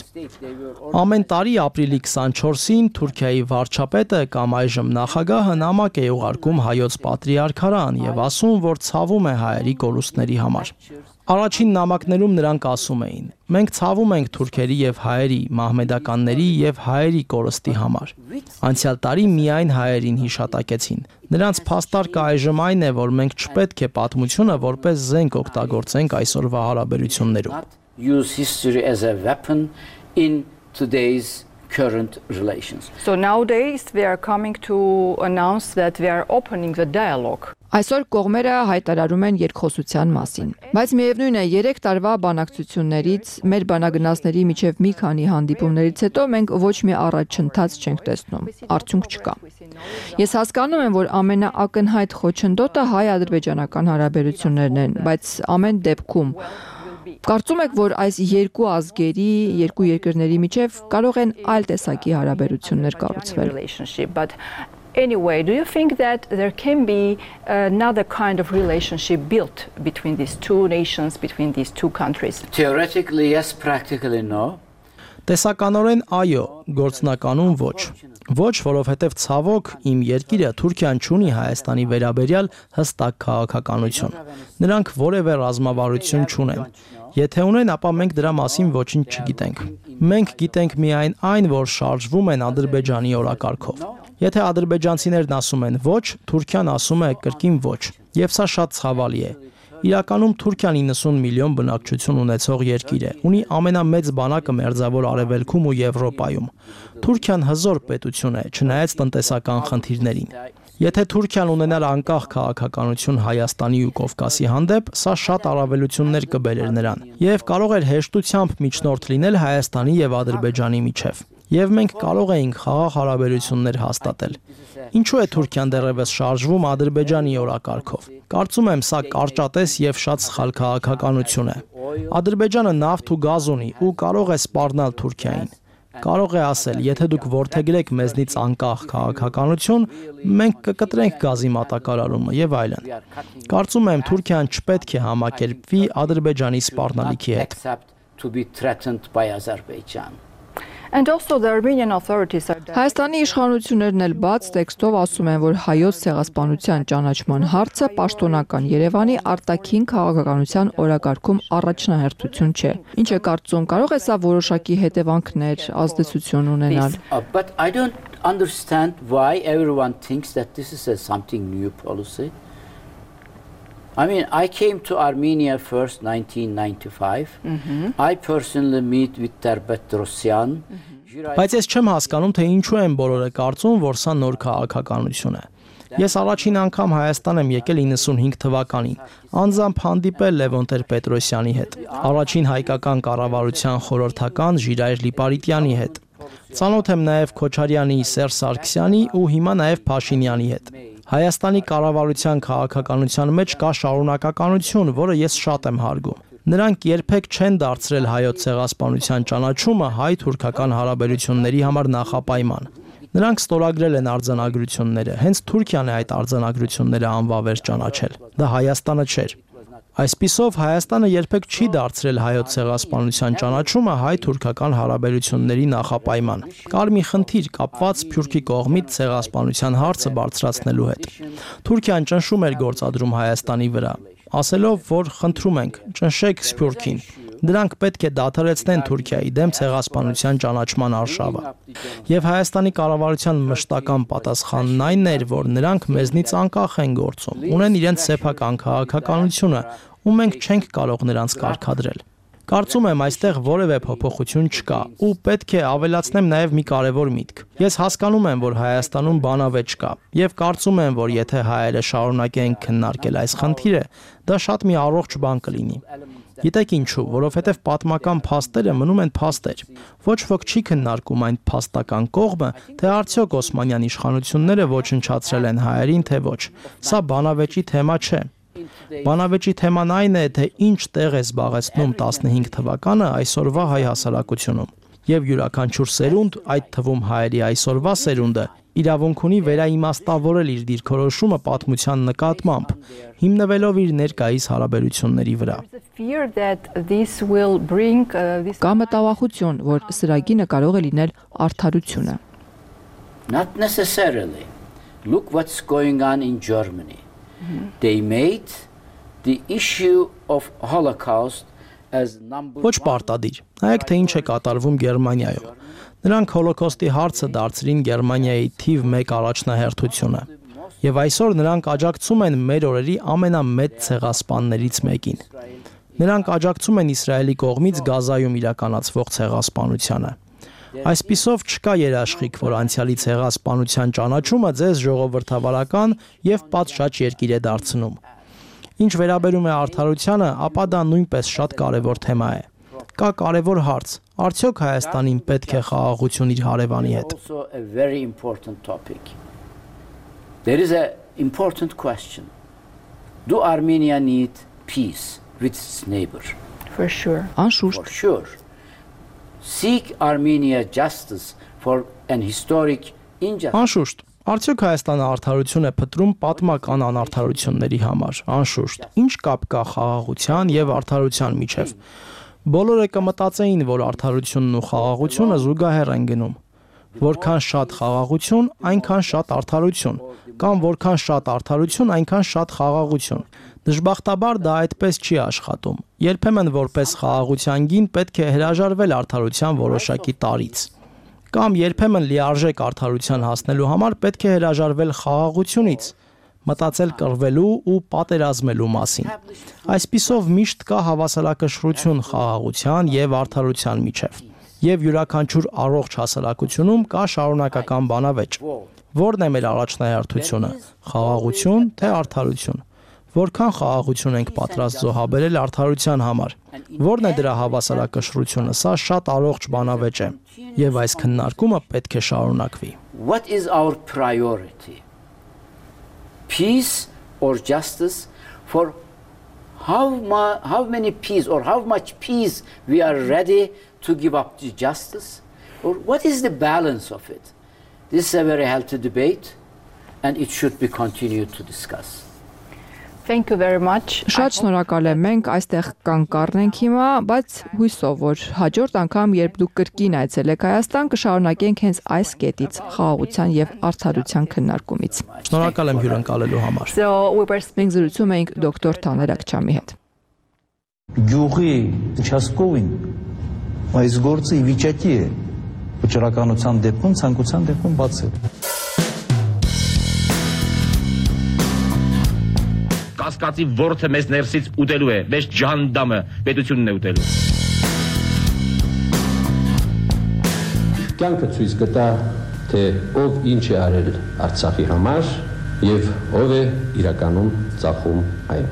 Ամեն տարի ապրիլի 24-ին Թուրքիայի վարչապետը կամ այժմ նախագահը նամակ է ուղարկում հայոց պատրիարքարան եւ ասում, որ ցավում է հայերի կորուստների համար։ Առաջին նամակներում նրանք ասում էին. մենք ցավում ենք թուրքերի եւ հայերի, մահմեդականների եւ հայերի կորստի համար։ Անցյալ տարի միայն հայերին հիշատակեցին։ Նրանց փաստարկը այժմ այն է, որ մենք չպետք է պատմությունը որպես զենք օգտագործենք այսօրվա հարաբերություններում։ Use history as a weapon in today's current relations. So nowadays we are coming to announce that we are opening the dialogue. Այսօր կողմերը հայտարարում են երկխոսության մասին, բայց միևնույն է 3 տարվա բանակցություններից, մեր բանագնացների միջև մի քանի հանդիպումներից հետո մենք ոչ մի առաջընթաց չենք տեսնում, արդյունք չկա։ Ես հասկանում եմ, որ ամենաակնհայտ խոչընդոտը հայ-ադրբեջանական հարաբերություններն են, բայց ամեն դեպքում կարծում եք, որ այս երկու ազգերի, երկու երկրների միջև կարող են այլ տեսակի հարաբերություններ կառուցվել։ Anyway, do you think that there can be another kind of relationship built between these two nations, between these two countries? Theoretically, yes, practically no. Տեսականորեն այո, գործնականում ոչ։ Ոչ, որովհետև ցավոք իմ երկիրը Թուրքիան չունի Հայաստանի վերաբերյալ հստակ քաղաքականություն։ Նրանք որևէ ռազմավարություն չունեն։ Եթե ունեն, ապա մենք դրա մասին ոչինչ չգիտենք։ Մենք գիտենք միայն այն, որ շարժվում են Ադրբեջանի օրակարգով։ Եթե ադրբեջանցիներն ասում են ոչ, Թուրքիան ասում է կրկին ոչ, եւ սա շատ ցավալի է։ Իրականում Թուրքիան 90 միլիոն բնակչություն ունեցող երկիր է, ունի ամենամեծ բանակը Մերձավոր Արևելքում ու Եվրոպայում։ Թուրքիան հզոր պետություն է, չնայած տնտեսական խնդիրներին։ Եթե Թուրքիան ունենար անկախ քաղաքականություն Հայաստանի ու Կովկասի հանդեպ, սա շատ առավելություններ կբերեր նրան եւ կարող էր հեշտությամբ միջնորդ լինել Հայաստանի եւ Ադրբեջանի միջև։ Եվ մենք կարող էինք խաղաղ հարաբերություններ հաստատել։ Ինչու է Թուրքիան դեռևս շարժվում Ադրբեջանի օրակարգով։ Կարծում եմ, սա կարճատես եւ շատ սխալ քաղաքականություն է։ Ադրբեջանը նավթ ու գազ ունի ու կարող է սպառնալ Թուրքիային։ Կարող է ասել, եթե դուք որդեգրեք մեզնից անկախ քաղաքականություն, մենք կկտրենք գազի մատակարարումը եւ այլն։ Կարծում եմ, Թուրքիան չպետք է համակերպվի Ադրբեջանի սպառնալիքի հետ։ And also the Armenian authorities are Հայաստանի իշխանություններն էլ բաց տեքստով ասում են, որ հայոց ցեղասպանության ճանաչման հարցը պաշտոնական Երևանի արտաքին քաղաքականության օրակարգում առաջնահերթություն չէ։ Ինչ է կարծում, կարող է սա որոշակի հետևանքներ, ազդեցություն ունենալ։ But I don't understand why everyone thinks that this is something new policy. I mean, I came to Armenia first 1995. I personally meet with Terbetrosyan. Բայց ես չեմ հասկանում, թե ինչու են բոլորը կարծում, որ սա նոր քաղաքականություն է։ Ես առաջին անգամ Հայաստան եմ եկել 95 թվականին, անձամբ հանդիպել Լևոն Տեր-Պետրոսյանի հետ, առաջին հայկական կառավարության խորհրդական Ժիրայր Լիպարիտյանի հետ։ Ծանոթ եմ նաև Քոչարյանի, Սերժ Սարգսյանի ու հիմա նաև Փաշինյանի հետ։ Հայաստանի կառավարության քաղաքականության մեջ կա շարունակականություն, որը ես շատ եմ հարգում։ Նրանք երբեք չեն դարձրել հայոց ցեղասպանության ճանաչումը հայ-թուրքական հարաբերությունների համար նախապայման։ Նրանք ստորագրել են արձանագրությունները, հենց Թուրքիան է այդ արձանագրությունները անվավեր ճանաչել։ Դա Հայաստանը չէր։ Այսպիսով Հայաստանը երբեք չի դարձրել հայոց ցեղասպանության ճանաչումը հայ-թուրքական հարաբերությունների նախապայման։ Կար մի խնդիր կապված Սփյուռքի կողմից ցեղասպանության հարցը բարձրացնելու հետ։ Թուրքիան ճնշում էր գործադրում Հայաստանի վրա, ասելով, որ խնդրում ենք, ճնշեք Սփյուռքին։ Դրանք պետք է դադարեցնեն Թուրքիայի դեմ ցեղասպանության ճանաչման արշավը։ Եվ Հայաստանի կառավարության մշտական պատասխանն այն էր, որ նրանք մեզնից անկախ են գործում, ունեն իրենց սեփական քաղաքականությունը, ու մենք չենք կարող նրանց կարգադրել։ Կարծում եմ, այստեղ որևէ փոփոխություն չկա, ու պետք է ավելացնեմ նաև մի կարևոր միտք։ Ես հասկանում եմ, որ Հայաստանում բանավեճ կա, եւ կարծում եմ, որ եթե հայերը շարունակեն քննարկել այս խնդիրը, դա շատ մի առողջ բան կլինի։ Գիտեք ինչու, որովհետև պատմական փաստերը մնում են փաստեր։ Ոչ ոք չի քննարկում այն փաստական կողմը, թե արդյոք Օսմանյան իշխանությունները ոչնչացրել են հայերին, թե ոչ։ Սա բանավեճի թեմա չէ։ Բանավեճի թեման այն է, թե ինչ տեղ է զբաղեցնում 15 թվականը այսօրվա հայ հասարակությունում։ Եվ յուրաքանչյուր սերունդ, այդ թվում հայերի այսօրվա սերունդը, իրավունք ունի վերաիմաստավորել իր դիրքորոշումը պատմության նկատմամբ, հիմնվելով իր ներկայիս հարաբերությունների վրա։ Կա մտավախություն, որ սրագինը կարող է լինել արդարությունը։ Not necessarily. Look what's going on in Germany. They made the issue of Holocaust as number Ոչ պարտադիր։ Նայեք, թե ինչ է կատարվում Գերմանիայում։ Նրանք հոլոկոստի հարցը դարձրին Գերմանիայի թիվ 1 առաջնահերթությունը։ Եվ այսօր նրանք աջակցում են մեր օրերի ամենամեծ ցեղասպաններից մեկին։ Նրանք աջակցում են Իսրայելի կողմից Գազայում իրականացվող ցեղասպանությանը։ Այսպիսով չկա երաշխիք, որ անցյալի ցեղասպանության ճանաչումը ձեզ ժողովրդավարական եւ պատշաճ երկիր է դարձնում։ Ինչ վերաբերում է արդարությանը, ապա դա նույնպես շատ կարևոր թեմա է։ Կա կարևոր հարց. արդյոք Հայաստանին պետք է խաղաղություն իր հարևանի հետ։ There is an important question. Do Armenia need peace with its neighbor? For sure. Անշուշտ։ For sure. Seek Armenia justice for an historic injustice. Անշուշտ։ Արդյոք Հայաստանը արդարություն է փնտրում պատմական անարդարությունների համար։ Անշուշտ։ Ինչ կապ կա խաղաղության եւ արդարության միջև։ Բոլորը կմտածեին, որ արդարությունն ու խաղաղությունը զուգահեռ են գնում։ Որքան շատ խաղաղություն, այնքան շատ արդարություն, կամ որքան շատ արդարություն, այնքան շատ խաղաղություն։ Դժբախտաբար դա այդպես չի աշխատում։ Երբեմն որպես խաղաղության գին պետք է հրաժարվել արդարության որոշակի տարրից։ Կամ երբեմն լիարժեք արդարության հասնելու համար պետք է հրաժարվել խաղաղությունից, մտածել կռվելու ու պատերազմելու մասին։ Այսպիսով միշտ կա հավասարակշռություն խաղաղության եւ արդարության միջև։ Եվ յուրաքանչյուր առողջ հասարակությունում կա շարունակական բանավեճ։ Որն է մեր առաջնահերթությունը՝ խաղաղություն թե արդարություն։ Որքան խաղաղություն ենք պատրաստ զոհաբերել արդարության համար։ Որն է դրա հավասարակշռությունը։ Սա շատ առողջ բանավեճ է։ եւ այս քննարկումը պետք է շարունակվի։ What is our priority? Peace or justice? For how many peace or how much peace we are ready to give up to justice? Or what is the balance of it? This is a very healthy debate and it should be continued to discuss. Thank you very much. Շատ շնորհակալ եմ, մենք այստեղ կանգառնենք հիմա, բայց հույսով որ հաջորդ անգամ, երբ դուք կրկին այցելեք Հայաստան, կշարունակենք հենց այս կետից խաղաղության եւ արդարության քննարկումից։ Շնորհակալ եմ հյուրընկալելու համար։ Մենք զրուցում էինք դոկտոր Թաներ Աքչամի հետ։ Գյուղի участковին այս գործը ի վիճակի է վճռականության դեպքում, ցանկության դեպքում բացել։ Կասկածի ворթը մեզ ներսից ուտելու է, մեզ ջանդամը պետությունն է ուտելու։ Կյանքը ցույց կտա, թե ով ինչ է արել Արցախի համար եւ ով է իրականում ծախում այն։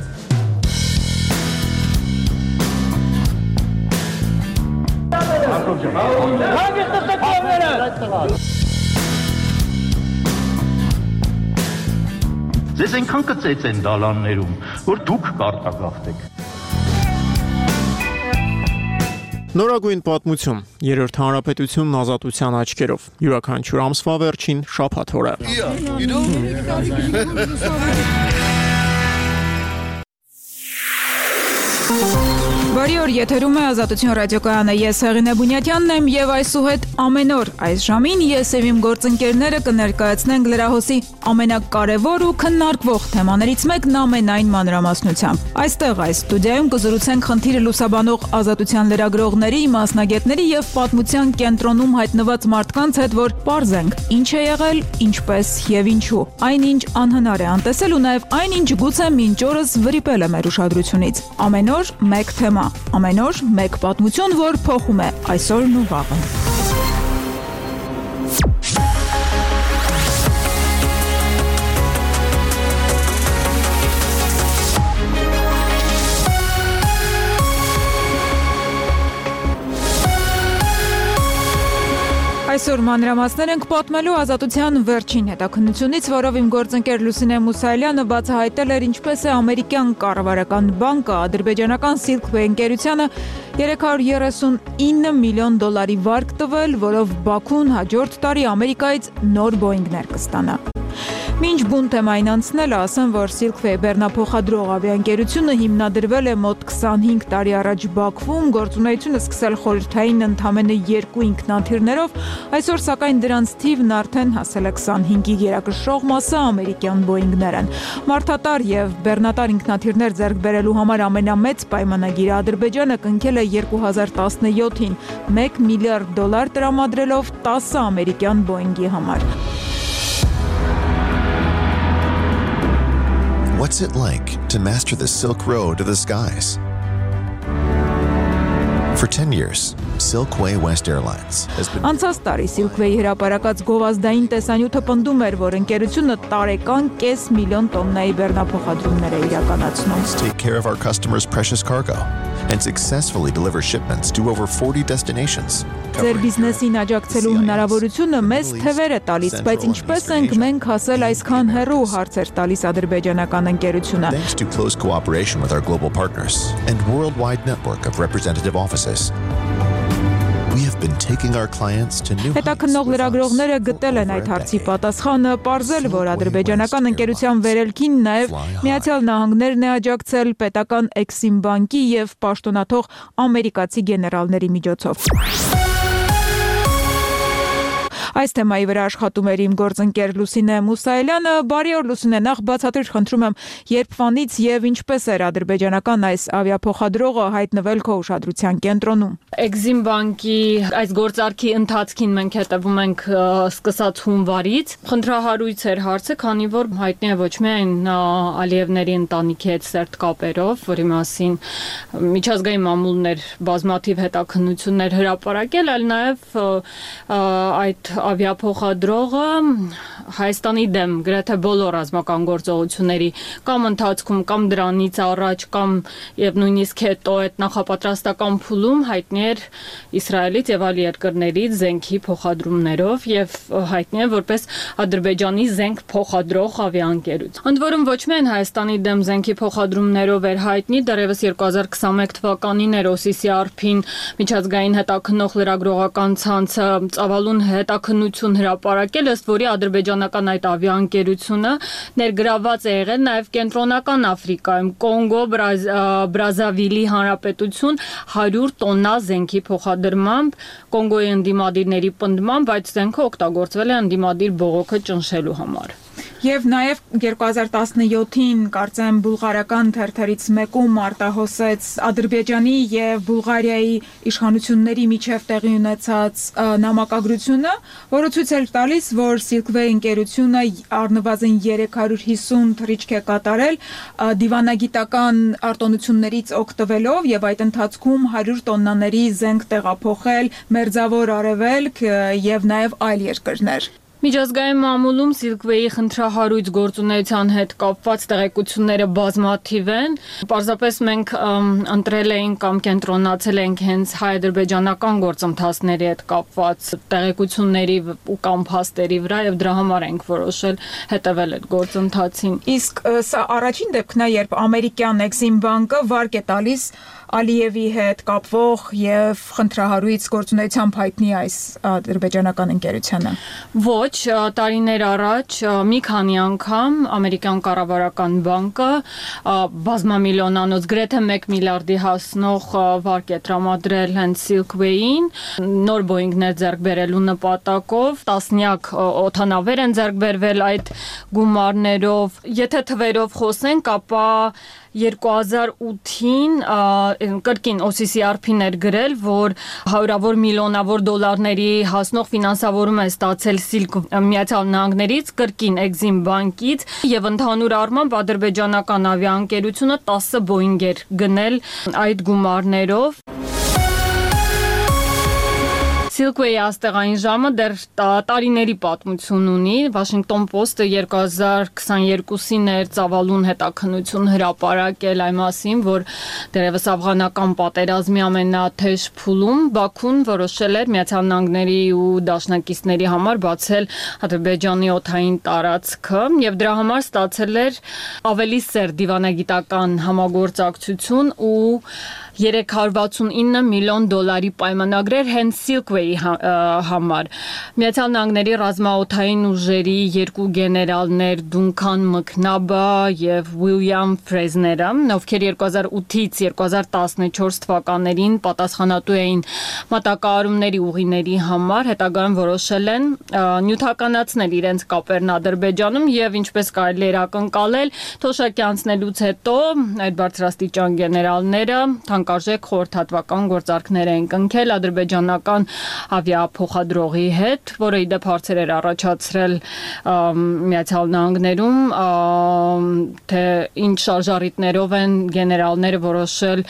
Ձեզ այնքան կծեց են դալաններում, որ դուք կարտագաղթեք։ Նորագույն պատմություն, երրորդ հանրապետությունն ազատության աչքերով, յուրաքանչյուր ամսվա վերջին շաբաթ օրը։ Բարի օր, եթերում է Ազատություն ռադիոկայանը, ես Հեղինե Բունյատյանն եմ եւ այսուհետ ամեն օր այս ժամին ես եւ իմ գործընկերները կներկայացնենք լրահոսի ամենակարևոր ու քննարկվող թեմաներից մեկն ամենայն մանրամասնությամբ։ Այստեղ այս ստուդիայում կզրուցենք խնդիրը լուսաբանող ազատության լրագրողների, մասնագետների եւ պատմության կենտրոնում հայտնված մարդկանց հետ, որ պարզենք ինչ է եղել, ինչպես եւ ինչու։ Այնինչ անհնար է անտեսել ու նաեւ այնինչ գուցե մինչ օրս վրիպել է մեր ուշադրությունից։ Ամեն օր մեկ թեմա, ամեն օր մեկ պատմություն, որ փոխում է այսօրն ու վաղը։ Այսօր մանրամասներ ենք պատմելու ազատության վերջին հետաքննությունից, որով իմ գործընկեր Լուսինե Մուսայելյանը բացահայտել էր ինչպես է ամերիկյան կառավարական բանկը ադրբեջանական Silkway ընկերությանը 339 միլիոն դոլարի վարկ տվել, որով Բաքուն հաջորդ տարի Ամերիկայից նոր Boeing-ներ կստանա։ Մինչ բուն թեմային անցնելը ասեմ, որ Silkway բեռնափոխադրող ավիաընկերությունը հիմնադրվել է մոտ 25 տարի առաջ Բաքվում, գործունեությունը սկսել խորհրդային ընդամենը 2 ինքնաթիռներով, այսօր սակայն դրանց թիվն արդեն հասել է 25-ի գերակշռող մասը ամերիկյան Boeing-ներ են։ Մարդատար եւ բեռնատար ինքնաթիռներ ձեռք բերելու համար ամենամեծ պայմանագիրը Ադրբեջանը կնքել է 2017-ին 1 միլիարդ դոլար տրամադրելով 10 ամերիկյան Boeing-ի համար։ What's it like to master the Silk Road to the skies? For 10 years, Silkway West Airlines has been Անցած տարի Silkway հրապարակած գովազդային տեսանյութը պնդում էր, որ ընկերությունը տարեկան կես միլիոն տոննայի բեռնափոխադրումներ է իրականացնում։ Take care of our customers' precious cargo and successfully deliver shipments to over 40 destinations. Ձեր բիզնեսին աջակցելու հնարավորությունը մեզ թևեր է տալիս, բայց ինչպես ենք մենք հասել այսքան հեռու, հարցեր տալիս ադրբեջանական ընկերությունը։ Thanks to close cooperation with our global partners and worldwide network of representative offices. We have been taking our clients to new Հետաքննող լրագրողները գտել են այդ հարցի պատասխանը, պարզել, որ ադրբեջանական ընկերության վերելքին նաև Միացյալ Նահանգներն է աջակցել պետական Exim բանկի եւ պաշտոնաթող ամերիկացի գեներալների միջոցով։ Այս թեմայի վրա աշխատում էր իմ գործընկեր Լուսինե Մուսայելյանը։ Բարի օր Լուսինե, նախ բացատրիր խնդրում եմ, երբվանից եւ ինչպես էր ադրբեջանական այս ավիափոխադրողը հայտնվել քո ուշադրության կենտրոնում։ Exim բանկի այս գործարքի ընթացքին մենք հետևում ենք սկսած հունվարից։ Խնդրահարույց էր հարցը, քանի որ հայտնի է ոչ միայն Ալիևների ընտանիքի հետ սերտ կապերով, որի մասին միջազգային մամուլներ բազմաթիվ հետաքննություններ հրապարակել, այլ նաեւ այդ ավիափոխադրողը Հայաստանի դեմ գրեթե բոլոր ռազմական գործողությունների կամ ընթացքում կամ դրանից առաջ կամ եւ նույնիսկ հետո այդ նախապատրաստական փուլում հայտնի էր Իսրայելից եւ այլ երկրներից զենքի փոխադրումներով եւ հայտնի է որպես Ադրբեջանի զենք փոխադրող ավիաընկերություն։ Ընդ որում ոչ միայն Հայաստանի դեմ զենքի փոխադրումներով էր հայտնի, դեռևս 2021 թվականին էր OCCRP-ին միջազգային հետաքննող լրագրողական ցանցը ծավալուն հետաքննություն հրապարակել, ըստ որի ադրբեջանական այդ ավիաընկերությունը ներգրավված է եղել նաև Կենտրոնական Աֆրիկայում, Կոնգո, Բրազավիլի Հանրապետություն 100 տոննա զենքի փոխադրմամբ, Կոնգոյի ընդդիմադիրների պնդմամբ այդ զենքը օգտագործվել է ընդդիմադիր բողոքը ճնշելու համար։ Եվ նաև 2017-ին կարծեմ բուլղարական թերթերից մեկում արտահոսեց Ադրբեջանի եւ Բուլղարիայի իշխանությունների միջև տեղի ունեցած նամակագրությունը, որը ցույց էր տալիս, որ Silkway ընկերությունը առնվազն 350 թռիչք է կատարել դիվանագիտական արտոնություններից օգտվելով եւ այդ ընթացքում 100 տոննաների զենք տեղափոխել Մերձավոր Արևելք եւ նաև այլ երկրներ։ Միջազգային մամուլում Silkway-ի խնդրահարույց գործունեության հետ կապված տեղեկությունները բազմաթիվ են։ Պարզապես մենք ընտրել էինք կամ կենտրոնացել ենք հենց հայ-ադրբեջանական գործընթացների հետ կապված տեղեկությունների ու կամ փաստերի վրա եւ դրա համար ենք որոշել հետևել այդ գործընթացին։ Իսկ սա առաջին դեպքն է, երբ ամերիկյան Exim բանկը վարկ է տալիս Ալիևի հետ կապվող եւ խնդրահարույց գործունեությամբ հայտնի այս ադրբեջանական ընկերությանը։ Ոչ, տարիներ առաջ մի քանի անգամ ամերիկյան կառավարական բանկը բազմամիլիոնանոց գրեթե 1 միլիարդի հասնող վարկ է տրամադրել հենց Silkway-ին, նոր Boeing-ներ ձեռք բերելու նպատակով, տասնյակ օդանավեր են ձեռք բերվել այդ գումարներով։ Եթե թվերով խոսենք, ապա 2008-ին կրկին OCCRP-ն էր գրել, որ հարյուրավոր միլիոնավոր դոլարների հասնող ֆինանսավորում է ստացել Միացյալ Նահանգներից, կրկին Exim բանկից եւ ընդհանուր առմամբ ադրբեջանական ավիաընկերությունը 10 Boeing էր գնել այդ գումարներով։ Silkway-ի աստեղային ժամը դեռ տարիների պատմություն ունի։ Washington Post-ը 2022-ին էր ծավալուն հետաքննություն հրապարակել այն մասին, որ դեռևս աֆղանական պատերազմի ամենաթեժ փուլում Բաքուն որոշել էր Միացյալ Նահանգների ու դաշնակիցների համար բացել Ադրբեջանի օդային տարածքը եւ դրա համար ստացել էր ավելի սեր դիվանագիտական համագործակցություն ու 369 միլիոն դոլարի պայմանագրեր հենց Silkway-ի համար։ Միացյալ Նահանգների ռազմաօդային ուժերի երկու գեներալներ Դունքան Մքնաբը եւ Ուիլյամ Ֆրեզները, ովքեր 2008-ից 2014 թվականներին պատասխանատու էին մատակարարումների ուղիների համար, հետագայում որոշել են նյութականացնել իրենց կապերն Ադրբեջանում եւ ինչպես կարելի էր ակնկալել, թոշակի անցնելուց հետո այդ բարձրաստիճան գեներալները թանկարժեք խորհրդատվական գործարքներ են կնքել ադրբեջանական ավիափոխադրողի հետ, որը իդեպ հարցեր էր առաջացրել Միացյալ Նահանգներում, թե ինչ շարժառիթներով են գեներալները որոշել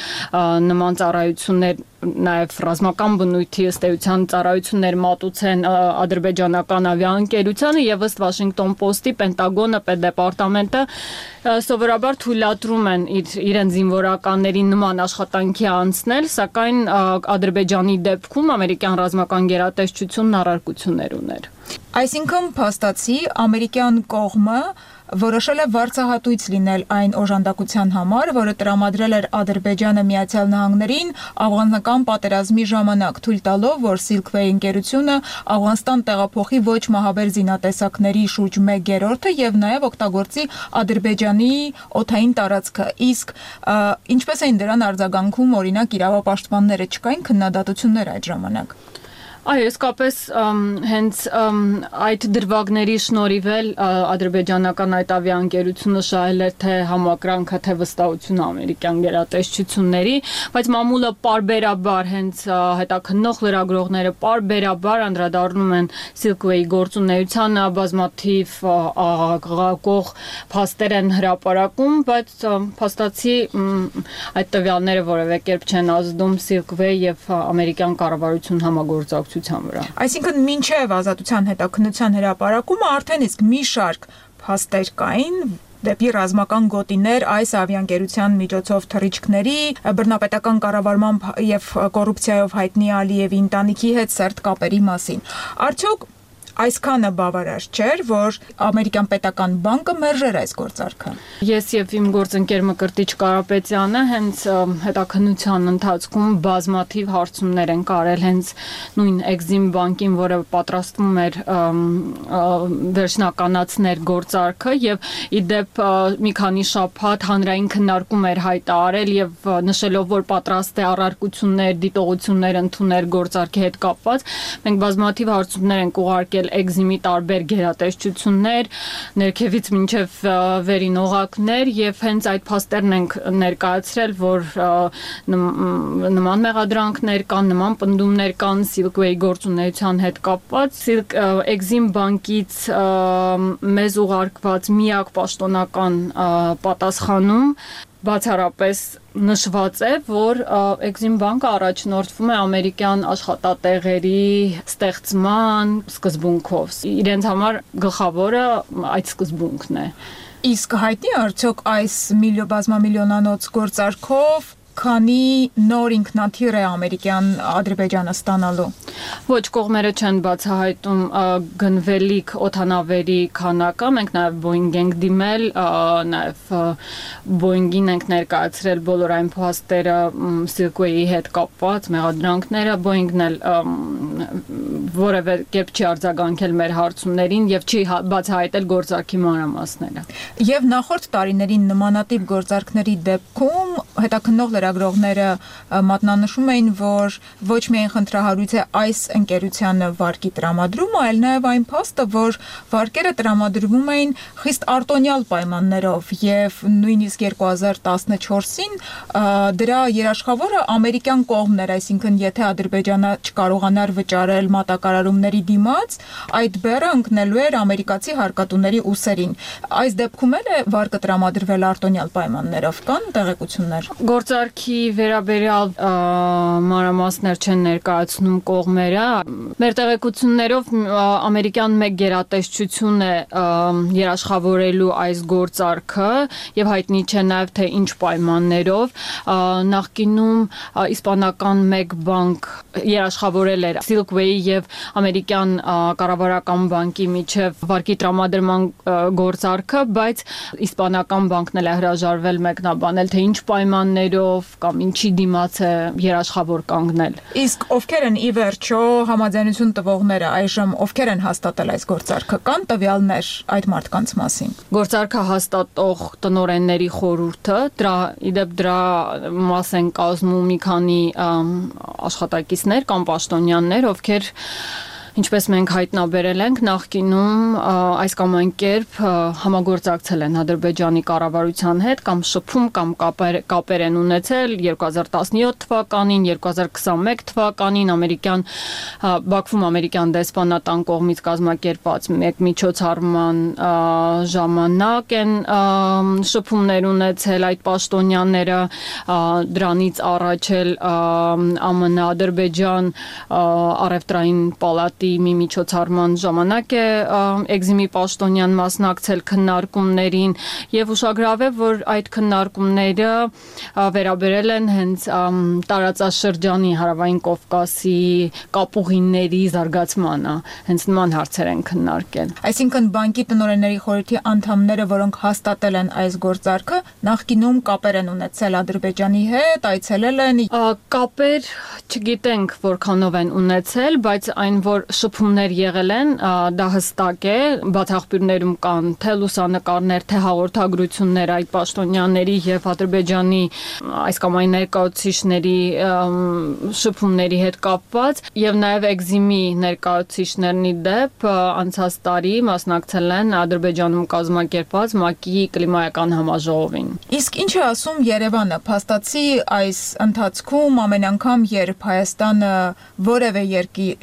նման ծառայություններ նաև ռազմական բնույթի ըստ էության ծառայություններ մատուցեն ադրբեջանական ավիաընկերությանը եւ ըստ Washington Post-ի Պենտագոնը, պետդեպարտամենտը սովորաբար թույլատրում են իրենց զինվորականներին նման աշխատանքի անցնել, սակայն Ադրբեջանի դեպքում ամերիկյան ռազմական գերատեսչությունն առարկություններ ուներ։ Այսինքն փաստացի ամերիկյան կողմը որոշել է վարձահատույց լինել այն օժանդակության համար, որը տրամադրել էր Ադրբեջանը Միացյալ Նահանգներին աֆղանական պատերազմի ժամանակ, թույլ տալով, որ Silkway ընկերությունը Աֆղանստան տեղափոխի ոչ մահաբեր զինատեսակների շուրջ 1/3-ը եւ նաեւ օգտագործի Ադրբեջանի օդային տարածքը։ Իսկ ինչպես էին դրան արձագանքում օրինակ իրավապաշտպանները, չկային քննադատություններ այդ ժամանակ։ Այո, իսկապես հենց այդ դրվագների շնորհիվ էլ ադրբեջանական այդ ավիաընկերությունը շահել էր թե համակրանքը, թե վստահությունը ամերիկյան գերատեսչությունների, բայց մամուլը պարբերաբար հենց հետաքննող լրագրողները պարբերաբար անդրադառնում են Silkway-ի գործունեությանը, բազմաթիվ աղաղակող փաստեր են հրապարակում, բայց փաստացի այդ տվյալները որևէ կերպ չեն ազդում Silkway եւ ամերիկյան կառավարություն համագործակցության կապակցության վրա։ Այսինքն մինչև ազատության հետաքննության հրապարակումը արդեն իսկ մի շարք փաստեր կային դեպի ռազմական գոտիներ այս ավիաընկերության միջոցով թռիչքների, բռնապետական կառավարման եւ կոռուպցիայով հայտնի Ալիևի ընտանիքի հետ սերտ կապերի մասին։ Արդյոք այսքանը բավարար չէր, որ ամերիկյան պետական բանկը մերժեր այս գործարքը։ Ես եւ իմ գործընկեր Մկրտիչ Կարապետյանը հենց հետաքննության ընթացքում բազմաթիվ հարցումներ են կարել հենց նույն Exim բանկին, որը պատրաստվում էր վերջնականացնել գործարքը եւ իդեպ մի քանի շաբաթ հանրային քննարկում էր հայտարարել եւ նշելով, որ պատրաստ է առարկություններ, դիտողություններ ընդունել գործարքի հետ կապված, մենք բազմաթիվ հարցումներ ենք ուղարկել Exim-ի տարբեր գերատեսչություններ, ներքևից մինչև վերին օղակներ եւ հենց այդ փաստերն ենք ներկայացրել, որ նման մեղադրանքներ կան, նման պնդումներ կան Silkway գործունեության հետ կապված։ Exim բանկից մեզ ուղարկված միակ պաշտոնական պատասխանում բացառապես նշված է, որ Exim բանկը առաջնորդվում է ամերիկյան աշխատատեղերի ստեղծման սկզբունքով։ Իրենց համար գլխավորը այդ սկզբունքն է։ Իսկ հայտնի արդյոք այս բազմամիլիոնանոց գործարքով քանի նոր ինքնաթիռ է ամերիկյան Ադրբեջանը ստանալու։ Ոչ, կողմերը չեն բացահայտում գնվելիք օդանավերի քանակը, մենք նաև Boeing ենք դիմել, նաև Boeing-ին ենք ներկայացրել բոլոր այն փաստերը Silkway-ի հետ կապված մեղադրանքները, Boeing-ն էլ որևէ կերպ չի արձագանքել մեր հարցումներին եւ չի բացահայտել գործարքի մանրամասները։ Եվ նախորդ տարիներին նմանատիպ գործարքների դեպքում հետաքննող լրագրողները մատնանշում էին, որ ոչ միայն խնդրահարույց է այս ընկերությանը վարկի տրամադրումը, այլ նաև այն փաստը, որ վարկերը տրամադրվում էին խիստ արտոնյալ պայմաններով եւ նույնիսկ 2014-ին դրա երաշխավորը ամերիկյան կողմն էր, այսինքն եթե Ադրբեջանը չկարողանար վճարել մատակարարումների դիմաց, այդ բեռը ընկնելու էր ամերիկացի հարկատուների ուսերին։ Այս դեպքում էլ է վարկը տրամադրվել արտոնյալ պայմաններով, կան տեղեկություններ։ Գործարքի վերաբերյալ մանրամասներ չեն ներկայացնում կողմերը։ Մեր տեղեկություններով ամերիկյան մեկ գերատեսչություն է երաշխավորելու այս գործարքը եւ հայտնի չէ նաեւ թե ինչ պայմաններով։ Նախկինում իսպանական մեկ բանկ երաշխավորել էր Silkway եւ ամերիկյան կառավարական բանկի միջև վարկի տրամադրման գործարքը, բայց իսպանական բանկն էլ է հրաժարվել մեկնաբանել, թե ինչ պայմաններով կամ ինչի դիմաց է երաշխավոր կանգնել։ Իսկ ովքեր են ի վերջո համաձայնություն տվողները այժմ, ովքեր են հաստատել այս գործարքը, կան տվյալներ այդ մարդկանց մասին։ Գործարքը հաստատող տնօրենների խորհուրդը, դրա մաս են կազմում մի քանի աշխատակիցներ կամ պաշտոնյաներ, ովքեր ինչպես մենք հայտնաբերել ենք, նախկինում այս կամ այն կերպ համագործակցել են Ադրբեջանի կառավարության հետ կամ շփում կամ կապեր են ունեցել 2017 թվականին, 2021 թվականին Բաքվում ամերիկյան դեսպանատան կողմից կազմակերպված մեկ միջոցառման ժամանակ են շփումներ ունեցել այդ պաշտոնյաները, դրանից առաջ էլ ԱՄՆ-Ադրբեջան առևտրային պալատ մի միջոցառման ժամանակ է Exim-ի պաշտոնյան մասնակցել քննարկումներին եւ ուշագրավ է, որ այդ քննարկումները վերաբերել են հենց տարածաշրջանի Հարավային Կովկասի կապուղիների զարգացմանը, հենց նման հարցեր են քննարկել։ Այսինքն բանկի տնօրենների խորհրդի անդամները, որոնք հաստատել են այս գործարքը, նախկինում կապեր են ունեցել Ադրբեջանի հետ, այցելել են։ Կապեր չգիտենք որքանով են ունեցել, բայց այն որ շփումներ եղել են, դա հստակ է, բացախբյուրներում կան թե լուսանկարներ, թե հաղորդագրություններ այդ պաշտոնյաների եւ Ադրբեջանի այս կամ այն ներկայացուցիչների շփումների հետ կապված եւ նաեւ Exim-ի ներկայացուցիչներն ի դեպ անցած տարի մասնակցել են Ադրբեջանում կազմակերպված ՄԱԿ-ի կլիմայական համաժողովին։ Իսկ ինչ է ասում Երևանը, փաստացի այս ընթացքում ամեն անգամ երբ Հայաստանը որևէ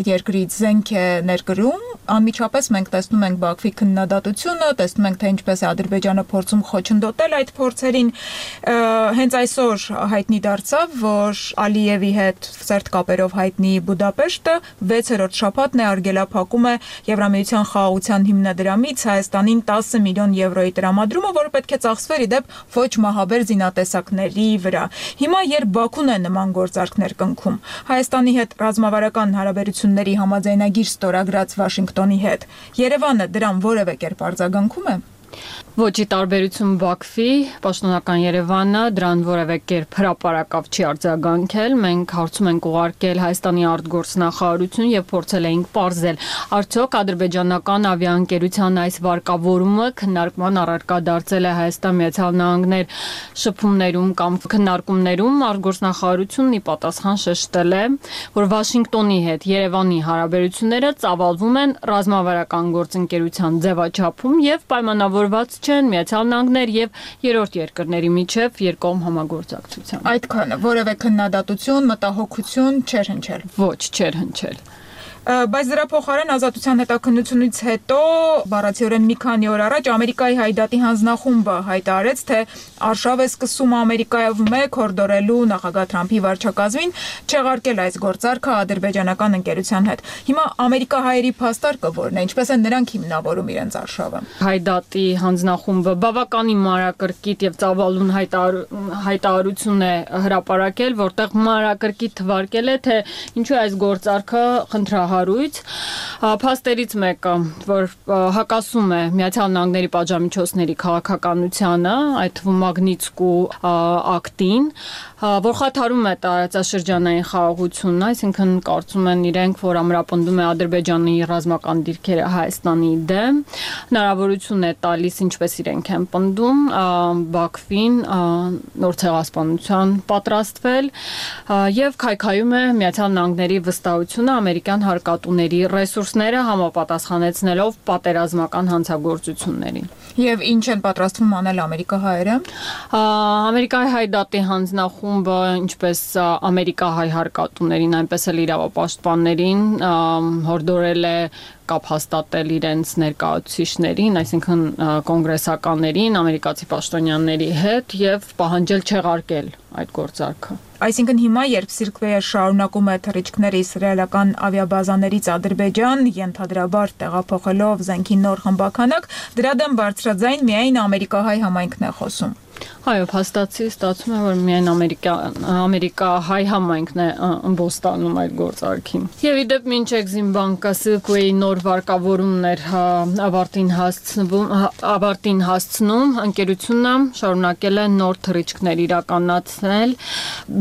երկրից զենք է ներկրում, անմիջապես մենք տեսնում ենք Բաքվի քննադատությունը, տեսնում ենք թե ինչպես է Ադրբեջանը փորձում խոչընդոտել այդ փորձերին։ Հենց այսօր հայտնի դարձավ, որ Ալիևի հետ սերտ կապերով հայտնի Բուդապեշտը 6-րդ շաբաթն է արգելափակում է Եվրամիության խաղաղության հիմնադրամից Հայաստանին 10 միլիոն եվրոյի տրամադրումը, որը պետք է ծախսվեր իդեպ ոչ մահաբեր զինատեսակների վրա։ Հիմա երբ Բաքուն է նման գործարքներ կնքում, Հայաստանի հետ ռազմավարական հարաբերությունների համաձայնագիր ստորագրած Վաշինգտոնի հետ, Երևանը դրան որևէ կերպ արձագանքում է։ Ոչի տարբերություն Բաքվի, պաշտոնական Երևանը դրան որևէ կերպ հրապարակավ չի արձագանքել։ Մենք հարցում ենք ուղարկել Հայաստանի արտգործնախարարություն եւ փորձել էինք պարզել, արդյոք ադրբեջանական ավիաընկերության այս վարկավորումը քննարկման առարկա դարձել է Հայաստան-Միացյալ Նահանգներ շփումներում կամ քննարկումներում։ Արտգործնախարարությունն ի պատասխան շեշտել է, որ Վաշինգտոնի հետ Երևանի հարաբերությունները ծավալվում են ռազմավարական գործընկերության ձևաչափում եւ պայմանավորված չեն Միացյալ Նահանգներ եւ երրորդ երկրների միջև երկկողմ համագործակցությամբ։ Այդքանը որևէ քննադատություն, մտահոգություն չէր հնչել։ Ոչ, չէր հնչել։ Բայց դրա փոխարեն Ազատության հետաքննությունից հետո բառացիորեն մի քանի օր առաջ Ամերիկայի Հայդատի հանձնախումբը հայտարարեց, թե արշավ է սկսում Ամերիկայով մեկ հորդորելու նախագահ Թրամփի վարչակազմին չեղարկել այս գործարքը ադրբեջանական ընկերության հետ։ Հիմա ամերիկահայերի փաստարկը որն է, ինչպես են նրանք հիմնավորում իրենց արշավը։ Հայդատի հանձնախումբը բավականին մանրակրկիտ եւ ծավալուն հայտարարություն է հրապարակել, որտեղ մանրակրկիտ թվարկել է, թե ինչու այս գործարքը խնդրահարույց։ Փաստերից մեկը, որ հակասում է Միացյալ Նահանգների պատժամիջոցների քաղաքականությանը, այդ թվում Մագնիտսկու ակտին, որ խաթարում է տարածաշրջանային խաղաղությունն, այսինքն կարծում են իրենք, որ ամրապնդում է Ադրբեջանի ռազմական դիրքերը Հայաստանի դեմ, հնարավորություն է տալիս, ինչպես իրենք են պնդում, Բաքվին նոր ցեղասպանության պատրաստվել եւ քայքայում է Միացյալ Նահանգների վստահությունը ամերիկյան հարկատուների ռեսուրսները համապատասխանեցնելով պատերազմական հանցագործություններին։ Եվ ինչ են պատրաստվում անել ամերիկահայերը։ Ամերիկայի Հայդատի հանձնախումբը, ինչպես ամերիկահայ հարկատուներին, այնպես էլ իրավապաշտպաններին հորդորել է կապ հաստատել իրենց ներկայացուցիչներին, այսինքն կոնգրեսականներին, ամերիկացի պաշտոնյաների հետ եւ պահանջել չեղարկել այդ գործարքը։ Այսինքն հիմա, երբ Սիրկվեյը շարունակում է թռիչքներ իսրայելական ավիաբազաներից Ադրբեջան, ենթադրաբար տեղափոխելով զենքի նոր խմբաքանակ, դրա դեմ բարձրաձայն միայն ամերիկահայ համայնքն է խոսում։ Այո, փաստացի ստացվում է, որ միայն ամերիկահայ համայնքն է ըմբոստանում այդ գործարքին։ Եվ իդեպ մինչ Էքզիմբանկը Սիլկվեյի նոր վարկավորումներ ավարտին հասցնում, ընկերությունը շարունակել է նոր թռիչքներ իրականացնել,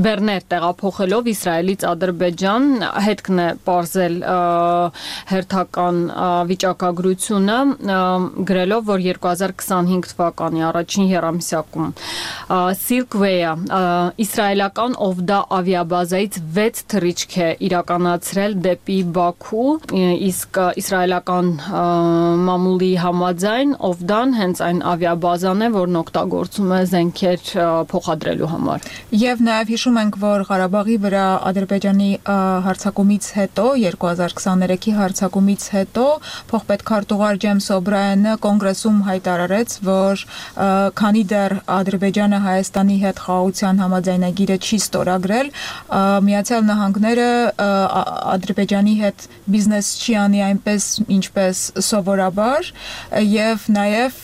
բեռներ տեղափոխելով Իսրայելից Ադրբեջան, հետքն է պարզել հերթական վիճակագրությունը, գրելով, որ 2025 թվականի առաջին եռամսյակում Սիլկվեյը իսրայելական Օվդա ավիաբազայից 6 թռիչք է իրականացրել դեպի Բաքու, իսկ իսրայելական մամուլի համաձայն Օվդան հենց այն ավիաբազան է, որն օգտագործում է զենքեր փոխադրելու համար։ Եվ նաև հիշում ենք, որ Ղարաբաղի վրա Ադրբեջանի հարձակումից հետո, 2023-ի հարձակումից հետո փոխպետքարտուղար Ջեյմս Օբրայենը կոնգրեսում հայտարարեց, որ քանի դեռ Ադրբեջանը Հայաստանի հետ խաղաղության համաձայնագիրը չի ստորագրել, Միացյալ Նահանգները Ադրբեջանի հետ բիզնես չի անի այնպես, ինչպես սովորաբար, եւ նաեւ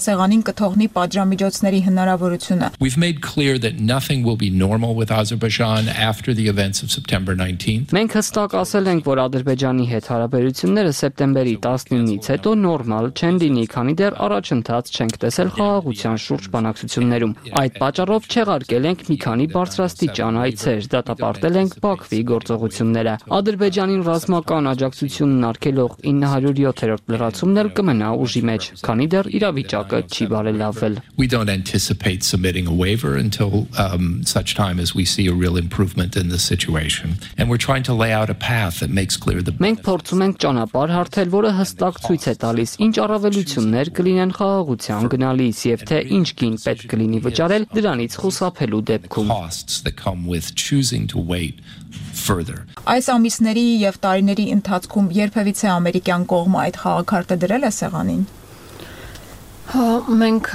սեղանին կթողնի պատժամիջոցների հնարավորությունը։ We've made clear that nothing will be normal with Azerbaijan after the events of September 19th. Մենք հստակ ասել ենք, որ Ադրբեջանի հետ հարաբերությունները սեպտեմբերի 19-ից հետո նորմալ չեն լինի, քանի դեռ առաջընթաց չենք տեսել խաղաղության շուրջ բանակցություններում։ Այդ պատճառով չեղարկել ենք մի քանի բարձրաստիճան այցեր, դատապարտել ենք Բաքվի գործողությունները։ Ադրբեջանին ռազմական աջակցությունն արգելող 907-րդ լրացումն էլ կմնա ուժի մեջ, քանի դեռ իրավիճակը չի բարելավվել։ We don't anticipate submitting a waiver until such time as we see a real improvement in the situation. And we're trying to lay out a path that makes clear the Մենք փորձում ենք ճանապարհ հարթել, որը հստակ ցույց է տալիս ինչ առավելություններ կլինեն խաղաղության գնալիս եւ թե ինչ գին պետք կլինի վճարել դրանից խուսափելու դեպքում։ further. Այս ամիսների եւ տարիների ընթացքում երբևիցե ամերիկյան կողմը այդ խաղաքարտը դրել է սեղանին։ Մենք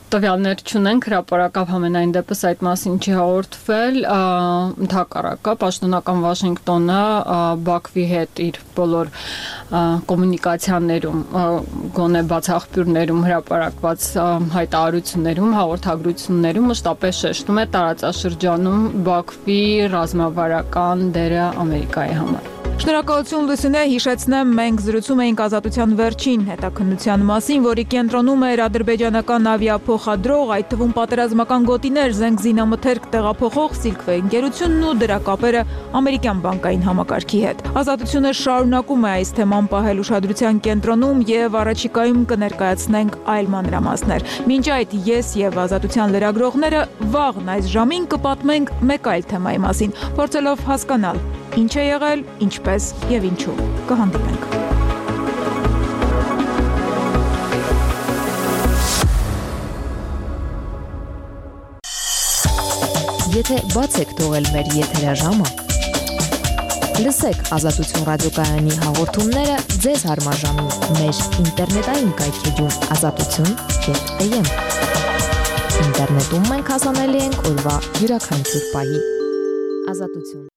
տվյալներ չունենք, հրապարակավ համենայն դեպս այդ մասին չի հաղորդվել, ընդհակառակը պաշտոնական Վաշինգտոնը Բաքվի հետ իր բոլոր կոմունիկացիաներում, գոնե բացախբյուրներում հրապարակված հայտարարություններում, հաղորդագրություններում մշտապես շեշտում է տարածաշրջանում Բաքվի ռազմավարական դերը Ամերիկայի համար։ Շնորհակալություն Լուսինե, հիշեցնեմ, մենք զրուցում էինք Ազատության վերջին հետաքննության մասին, որի կենտրոնում էր ադրբեջանական ավիափոխադրող, այդ թվում պատերազմական գոտիներ, զենք զինամթերք տեղափոխող Silkway ընկերությունն ու դրա կապերը ամերիկյան բանկային համակարգի հետ։ Ազատությունը շարունակում է այս թեման պահել ուշադրության կենտրոնում եւ առաջիկայում կներկայացնենք այլ մանրամասներ։ Մինչ այդ ես եւ Ազատության լրագրողները վաղն այս ժամին կպատմենք մեկ այլ թեմայի մասին, փորձելով հասկանալ ինչ է եղել, ինչպես եւ ինչու։ Կհանդիպենք։ Եթե բաց եք թողել մեր եթերաժամը, լսեք Ազատություն ռադիոկայանի հաղորդումները ձեզ հարմար ժամին մեր ինտերնետային կայքեջում azatutun.am։ Ինտերնետում մենք հասանելի ենք օրվա յուրաքանչյուր պահի։ Ազատություն։